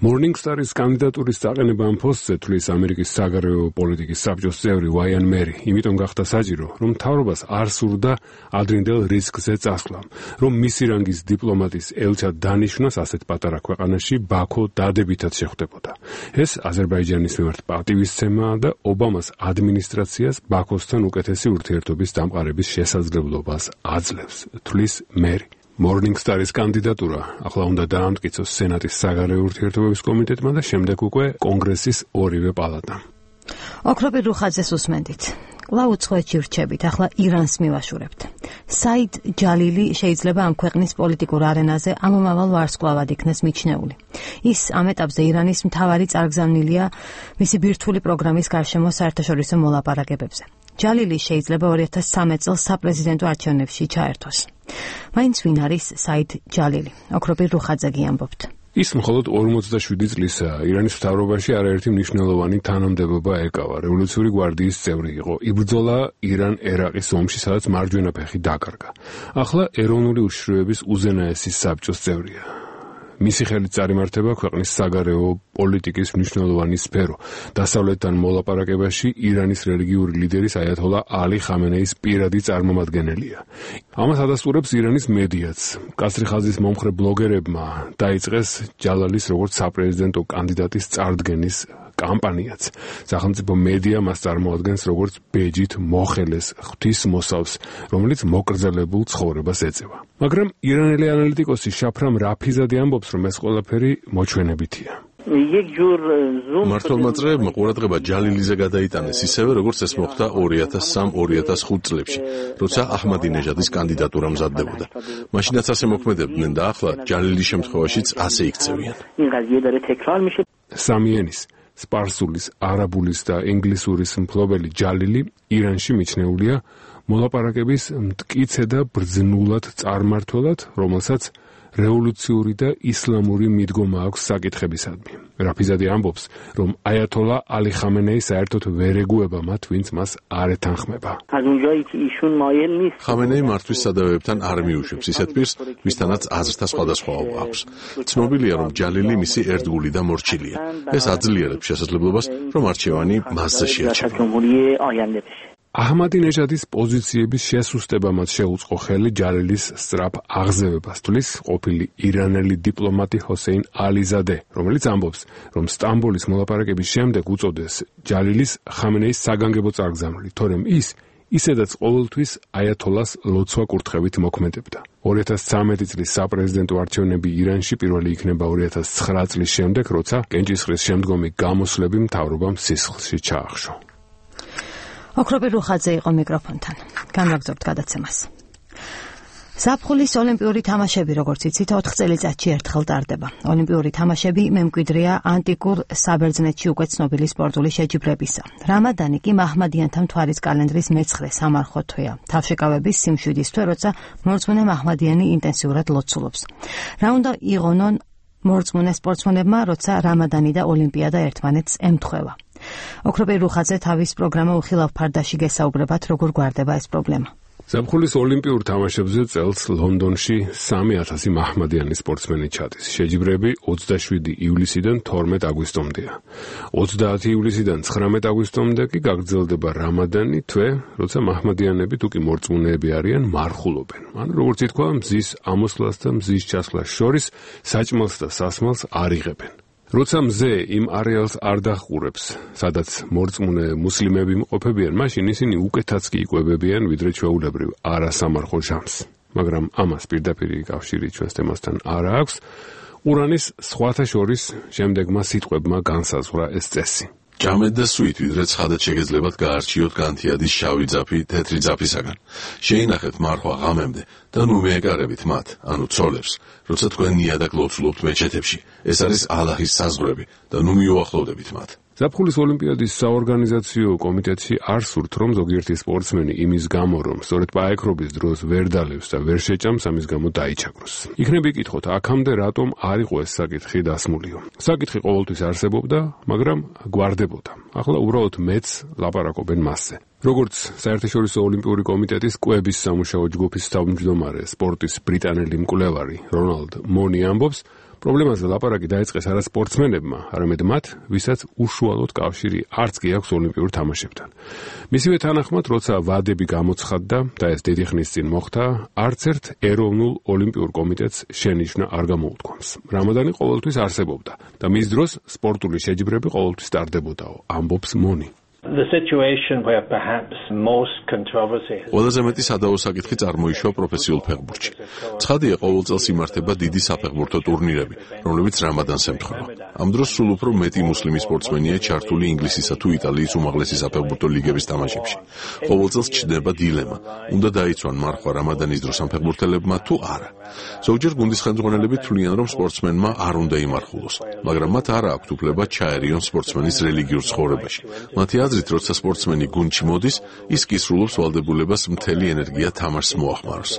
Morning Star-ის კანდიდატურის წაყენება ამ პოსტზე თვლის ამერიკის საგარეო პოლიტიკის საბჭოს წევრი ვაიან მერი, იმიტომ გახდა საჭირო, რომ მთავრობას არ სურდა ადრინდელ რისკზე წასვლა, რომ მისი რანგის დიპლომატის ელჩად დანიშვნას ასეთ პატარა ქვეყანაში ბაქო დადებითად შეხვდებოდა. ეს აზერბაიჯანის მიმართ პატივისცემაა და ობამას ადმინისტრაციას ბაქოსთან უკეთესი ურთიერთობის დამყარების შესაძლებლობას აძლევს, თვლის მერი. Morning Star-ის კანდიდატურა ახლა უნდა დაამტკიცოს სენატის საგარეო ურთიერთობების კომიტეტმა და შემდეგ უკვე კონგრესის ორივე პალატამ. ოქროპირ რუხაძეს უსმენდით. კვლავ უცხოეთში ვრჩებით, ახლა ირანს მივაშურებთ. საიდ ჯალილი შეიძლება ამ ქვეყნის პოლიტიკურ არენაზე ამომავალ ვარსკვლავად იქნეს მიჩნეული. ის ამ ეტაპზე ირანის მთავარი წარგზავნილია მისი ბირთვული პროგრამის გარშემო საერთაშორისო მოლაპარაკებებზე. ჯალილი შეიძლება ორი ათას სამი წელს საპრეზიდენტო არჩევნებში ჩაერთოს. მაინც ვინ არის საიდ ჯალილი? ოქროპირ რუხაძე ამბობთ. ის მხოლოდ ორმოცდაშვიდი წლისაა. ირანის მთავრობაში არაერთი მნიშვნელოვანი თანამდებობა ეკავა. რევოლუციური გვარდიის წევრი იყო. იბრძოლა ირან-ერაყის ომში, სადაც მარჯვენა ფეხი დაკარგა. ახლა ეროვნული უშიშროების უზენაესი საბჭოს წევრია. მისი ხელით წარიმართება ქვეყნის საგარეო პოლიტიკის მნიშვნელოვანი სფერო. დასავლეთთან მოლაპარაკებაში ირანის რელიგიური ლიდერის აიათოლა ალი ხამენეის პირადი წარმომადგენელია. ამას ადასტურებს ირანის მედიაც. კასრი ხაზის მომხრე ბლოგერებმა დაიწყეს ჯალალის როგორც საპრეზიდენტო კანდიდატის წარდგენის კამპანიაც. სახელმწიფო მედია მას წარმოადგენს როგორც ბეჯით მოხელეს ღვთისმოსავს, რომელიც მოკრძალებულ ცხოვრებას ეწევა. მაგრამ ირანელი ანალიტიკოსი შაფრამ რაფიზადი ამბობს, რომ ეს ყველაფერი მოჩვენებითია. მართლმა წრეებმა ყურადღება ჯალილიზე გადაიტანეს ისევე, როგორც ეს მოხდა ორი ათას სამი ორი ათას ხუთი წლებში, როცა აჰმადინეჟადის კანდიდატურა მზადდებოდა. მაშინაც ასე მოქმედებდნენ და ახლა ჯალილის შემთხვევაშიც ასე იქცევიან. სამიენის სპარსულის, არაბულის და ინგლისურის მფლობელი ჯალილი ირანში მიჩნეულია მოლაპარაკების მტკიცე და ბრძნულად წარმმართველად, რომელსაც რევოლუციური და ისლამური მიდგომა აქვს საკითხებისადმი. რაფიზადი ამბობს, რომ აიათოლა ალი ხამენეი საერთოდ ვერ ეგუება მათ, ვინც მას არ ეთანხმება. ხამენეი მართვის სადავეებთან არ მიუშვებს ისეთ პირს, ვისთანაც აზრთა სხვადასხვაობა აქვს. ცნობილია, რომ ჯალილი მისი ერთგული და მორჩილია. ეს აძლიერებს შესაძლებლობას, რომ არჩევანი მასზე შეარჩება. აჰმადინეჟადის პოზიციების შესუსტებამაც შეუწყო ხელი ჯალილის სწრაფ აღზევებას, თვლის ყოფილი ირანელი დიპლომატი ჰოსეინ ალიზადე, რომელიც ამბობს, რომ სტამბოლის მოლაპარაკების შემდეგ უწოდეს ჯალილის ხამენეის საგანგებო წარგზავნილი, თორემ ის ისედაც ყოველთვის აიათოლას ლოცვა კურთხევით მოქმედებდა. ორი ათას ცხრამეტი წლის საპრეზიდენტო არჩევნები ირანში პირველი იქნება ორი ათას ცხრა წლის შემდეგ, როცა კენჭისყრის შემდგომი გამოსვლები მთავრობამ სისხლში ჩაახშო. ოქროპირ რუხაძე იყო მიკროფონთან. განვაგრძობთ გადაცემას. ზაფხულის ოლიმპიური თამაშები, როგორც იცით, ოთხ წელიწადში ერთხელ ტარდება. ოლიმპიური თამაშები მემკვიდრეა ანტიკურ საბერძნეთში უკვე ცნობილი სპორტული შეჯიბრებისა. რამადანი კი მაჰმადიანთა მთვარის კალენდრის მეცხრე სამარხო თვეა. თავშეკავების სიმშვიდის თვე, როცა მორწმუნე მაჰმადიანი ინტენსიურად ლოცულობს. რა უნდა იღონონ მორწმუნე სპორტსმენებმა, როცა რამადანი და ოლიმპიადა ერთმანეთს ემთხვევა. ოქროპირ რუხაძე თავის პროგრამა უხილავ ფარდაში გესაუბრებათ, როგორ გვარდება ეს პრობლემა. ზაფხულის ოლიმპიურ თამაშებზე წელს ლონდონში სამი ათასი მაჰმადიანი სპორტსმენი ჩადის. შეჯიბრები ოცდაშვიდი ივლისიდან თორმეტ აგვისტომდეა. ოცდაათი ივლისიდან ცხრამეტ აგვისტომდე კი გაგრძელდება რამადანი თვე, როცა მაჰმადიანები თუ კი მორწმუნეები არიან, მარხულობენ. ანუ როგორც ითქვა, მზის ამოსვლას და მზის ჩასვლას შორის საჭმელს და სასმელს არ იღებენ. როცა მზე იმ არეალს არ დახურებს, სადაც მორწმუნე მუსლიმები იმყოფებიან, მაშინ ისინი უკეთაც კი იკვებებიან, ვიდრე ჩვეულებრივ არასამარხო ჟამს. მაგრამ ამას პირდაპირი კავშირი ჩვენს თემასთან არ აქვს. ყურანის სხვათა შორის შემდეგმა სიტყვებმა განსაზღვრა ეს წესი. ჭამეთ და სვით, ვიდრე ცხადად შეგეძლებათ გაარჩიოთ განთიადის შავი ძაფი თეთრი ძაფისაგან. შეინახეთ მარხვა ღამემდე და ნუ მეეკარებით მათ, ანუ ცოლებს, როცა თქვენ ნიადაგ ლოცულობთ მეჩეთებში. ეს არის ალაჰის საზღვრები და ნუ მიუახლოვდებით მათ. ზაფხულის ოლიმპიადის საორგანიზაციო კომიტეტში არ სურთ, რომ ზოგიერთი სპორტსმენი იმის გამო, რომ სწორედ პაექრობის დროს ვერ დალევს და ვერ შეჭამს, ამის გამო დაიჩაგროს. იქნებ იკითხოთ, აქამდე რატომ არ იყო ეს საკითხი დასმულიო. საკითხი ყოველთვის არსებობდა, მაგრამ გვარდებოდა. ახლა უბრალოდ მეც ლაპარაკობენ მასზე. როგორც საერთაშორისო ოლიმპიური კომიტეტის კვების სამუშაო ჯგუფის თავმჯდომარე, სპორტის ბრიტანელი მკვლევარი რონალდ მონი ამბობს, პრობლემაზე ლაპარაკი დაიწყეს არა სპორტსმენებმა, არამედ მათ, ვისაც უშუალოდ კავშირი არც კი აქვს ოლიმპიურ თამაშებთან. მისივე თანახმად, როცა ვადები გამოცხადდა და ეს დიდი ხნის წინ მოხდა, არც ერთ ეროვნულ ოლიმპიურ კომიტეტს შენიშვნა არ გამოუთქვამს. რამადანი ყოველთვის არსებობდა და მის დროს სპორტული შეჯიბრები ყოველთვის ტარდებოდაო, ამბობს მონი. The situation where perhaps most controversy ყველაზე მეტი სადავო საკითხი წარმოიშვა პროფესიულ ფეხბურთში. ცხადია, ყოველ წელს იმართება დიდი საფეხბურთო ტურნირები, რომლებიც რამადანს ემთხვევა. ამ დროს სულ უფრო მეტი მუსლიმი სპორტსმენია ჩართული ინგლისისა თუ იტალიის უმაღლესი საფეხბურთო ლიგების თამაშებში. ყოველ წელს ჩნდება დილემა, უნდა დაიცვან მარხვა რამადანის დროს ამ ფეხბურთელებმა თუ არა. ზოგჯერ გუნდის ხელმძღვანელები თვლიან, რომ სპორტსმენმა არ უნდა იმარხულოს, მაგრამ მათ არ აქვთ უფლება ჩაერიონ სპორტსმენის რელიგიურ ცხოვრებაში. მათი აზრით, როცა სპორტსმენი გუნდში მოდის, ის კისრულობს ვალდებულებას მთელი ენერგია თამაშს მოახმაროს.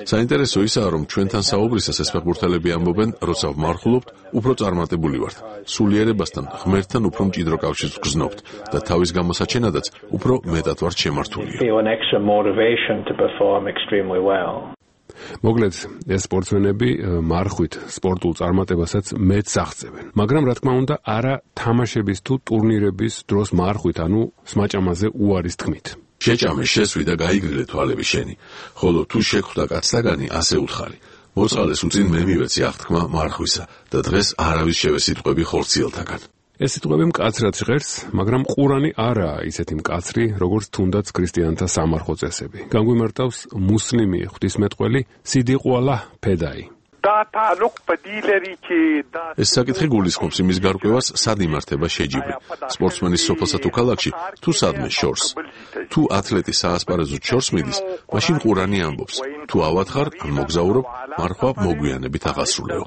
საინტერესო ისაა, რომ ჩვენთან საუბრისას ეს ფეხბურთელები ამბობენ, როცა ვმარხულობთ, უფრო წარმატებული ვართ. სულიერებასთან, ღმერთთან უფრო მჭიდრო კავშირს ვგრძნობთ და თავის გამოსაჩენადაც უფრო მეტად ვართ შემართული. მოკლედ, ეს სპორტსმენები მარხვით სპორტულ წარმატებასაც მეც აღწევენ. მაგრამ რა თქმა უნდა, არა თამაშების თუ ტურნირების დროს მარხვით, ანუ სმაჭამაზე უარის თქმით. შეჭამე, შესვი და გაიგრილე თვალები შენი, ხოლო თუ შეგხვდა კაცთაგანი, ასე უთხარი. მოწყალეს უწინ მე მივეცი აღთქმა მარხვისა და დღეს არავის შევესიტყვები ხორციელთაგან. ეს სიტყვები მკაცრად ჟღერს, მაგრამ ყურანი არაა ისეთი მკაცრი, როგორც თუნდაც ქრისტიანთა სამარხო წესები. განგვიმარტავს მუსლიმი ღვთისმეტყველი სიდიყვალა ფედაი. ეს საკითხი გულისხმობს იმის გარკვევას, სად იმართება შეჯიბრი. სპორტსმენის სოფელსა თუ ქალაქში, თუ სადმე შორს. თუ ათლეტი საასპარეზოდ შორს მიდის, მაშინ ყურანი ამბობს, თუ ავათხარ, ან მოგზაურობ, მარხვა მოგვიანებით აღასრულეო.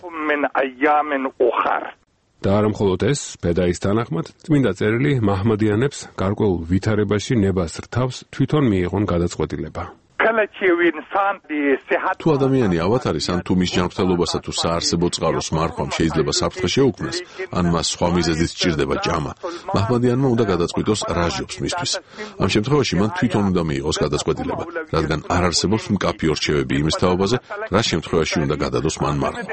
და არა მხოლოდ ეს, ფედაის თანახმად, წმინდა წერილი მაჰმადიანებს გარკვეულ ვითარებაში ნებას რთავს თვითონ მიიღონ გადაწყვეტილება. თუ ადამიანი ავათარის, ან თუ მის ჯანმრთელობასა თუ საარსებო წყაროს მარხვამ შეიძლება საფრთხე შეუქმნას, ან მას სხვა მიზეზით სჭირდება ჭამა, მაჰმადიანმა უნდა გადაწყვიტოს რა ჟობს მისთვის. ამ შემთხვევაში მან თვითონ უნდა მიიღოს გადაწყვეტილება, რადგან არ არსებობს მკაფიო რჩევები იმის თაობაზე, რა შემთხვევაში უნდა გადადოს მან მარხვა.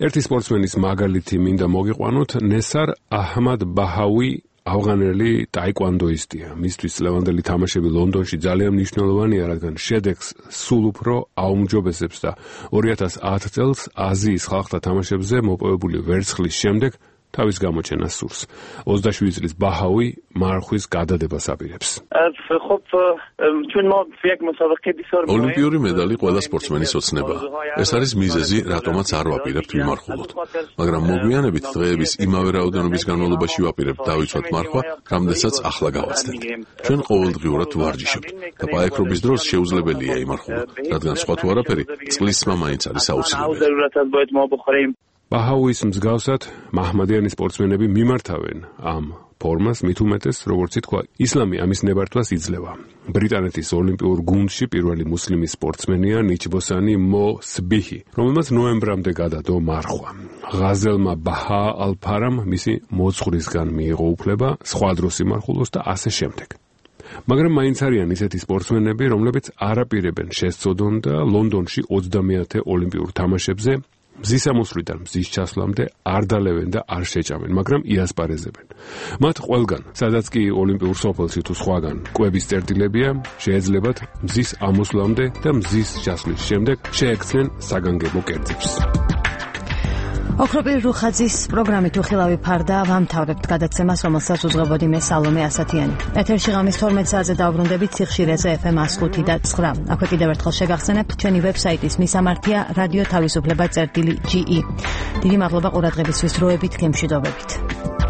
ერთი სპორტსმენის მაგალითი მინდა მოგიყვანოთ, ნესარ აჰმად ბაჰავი, ავღანელი ტაიკვანდოისტია. მისთვის ლევანდელი თამაშები ლონდონში ძალიან მნიშვნელოვანია, რადგან შედეგს სულ უფრო აუმჯობესებს და ორი ათას ათ წელს აზიის ხალხთა თამაშებზე მოპოვებული ვერცხლის შემდეგ თავის გამოჩენას სურს. ოცდაშვიდი წლის ბაჰაუი მარხვის გადადებას აპირებს. ოლიმპიური მედალი ყველა სპორტსმენის ოცნებაა. ეს არის მიზეზი, რატომაც არ ვაპირებთ ვიმარხულოთ. მაგრამ მოგვიანებით დღეების იმავე რაოდენობის განმავლობაში ვაპირებთ დავიცვათ მარხვა, რამდენსაც ახლა გავაცდენთ. ჩვენ ყოველდღიურად ვარჯიშობთ და პაექრობის დროს შეუძლებელია იმარხულოთ, რადგან სხვა თუ არაფერი, წყლის სმა მაინც არის აუცილებელი. ბაჰაუის მსგავსად, მაჰმადიანი სპორტსმენები მიმართავენ ამ ფორმას, მით უმეტეს, როგორც ითქვა, ისლამი ამის ნებართვას იძლევა. ბრიტანეთის ოლიმპიურ გუნდში პირველი მუსლიმი სპორტსმენია ნიჩბოსანი მო სბიჰი, რომელმაც ნოემბრამდე გადადო მარხვა. ღაზელმა ბაჰა ალ-ფარამ მისი მოძღვრისგან მიიღო უფლება სხვა დროს იმარხულოს და ასე შემდეგ. მაგრამ მაინც არიან ისეთი სპორტსმენები, რომლებიც არ აპირებენ შესწოდონ და ლონდონში ოცდამეათე ოლიმპიურ თამაშებზე მზის ამოსვლიდან მზის ჩასვლამდე არ დალევენ და არ შეჭამენ, მაგრამ იასპარეზებენ. მათ ყველგან, სადაც კი ოლიმპიურ სოფელში თუ სხვაგან კვების წერტილებია, შეეძლებათ მზის ამოსვლამდე და მზის ჩასვლის შემდეგ შეექცნენ საგანგებო კერძებს. ოქროპირ რუხაძის პროგრამით უხილავი ფარდა ვამთავრებთ გადაცემას, რომელსაც უძღვებოდი მე სალომე ასათიანი. ეთერში ღამის თორმეტ საათზე დავბრუნდებით სიხშირეზე ეფ ემ one oh five და nine. აქვე კიდევ ერთხელ შეგახსენებთ ჩვენი ვებსაიტის მისამართია რადიო თავისუფლება წერტილი ჯი ი. დიდი მადლობა ყურადღებისთვის, დროებით გემშვიდობებით.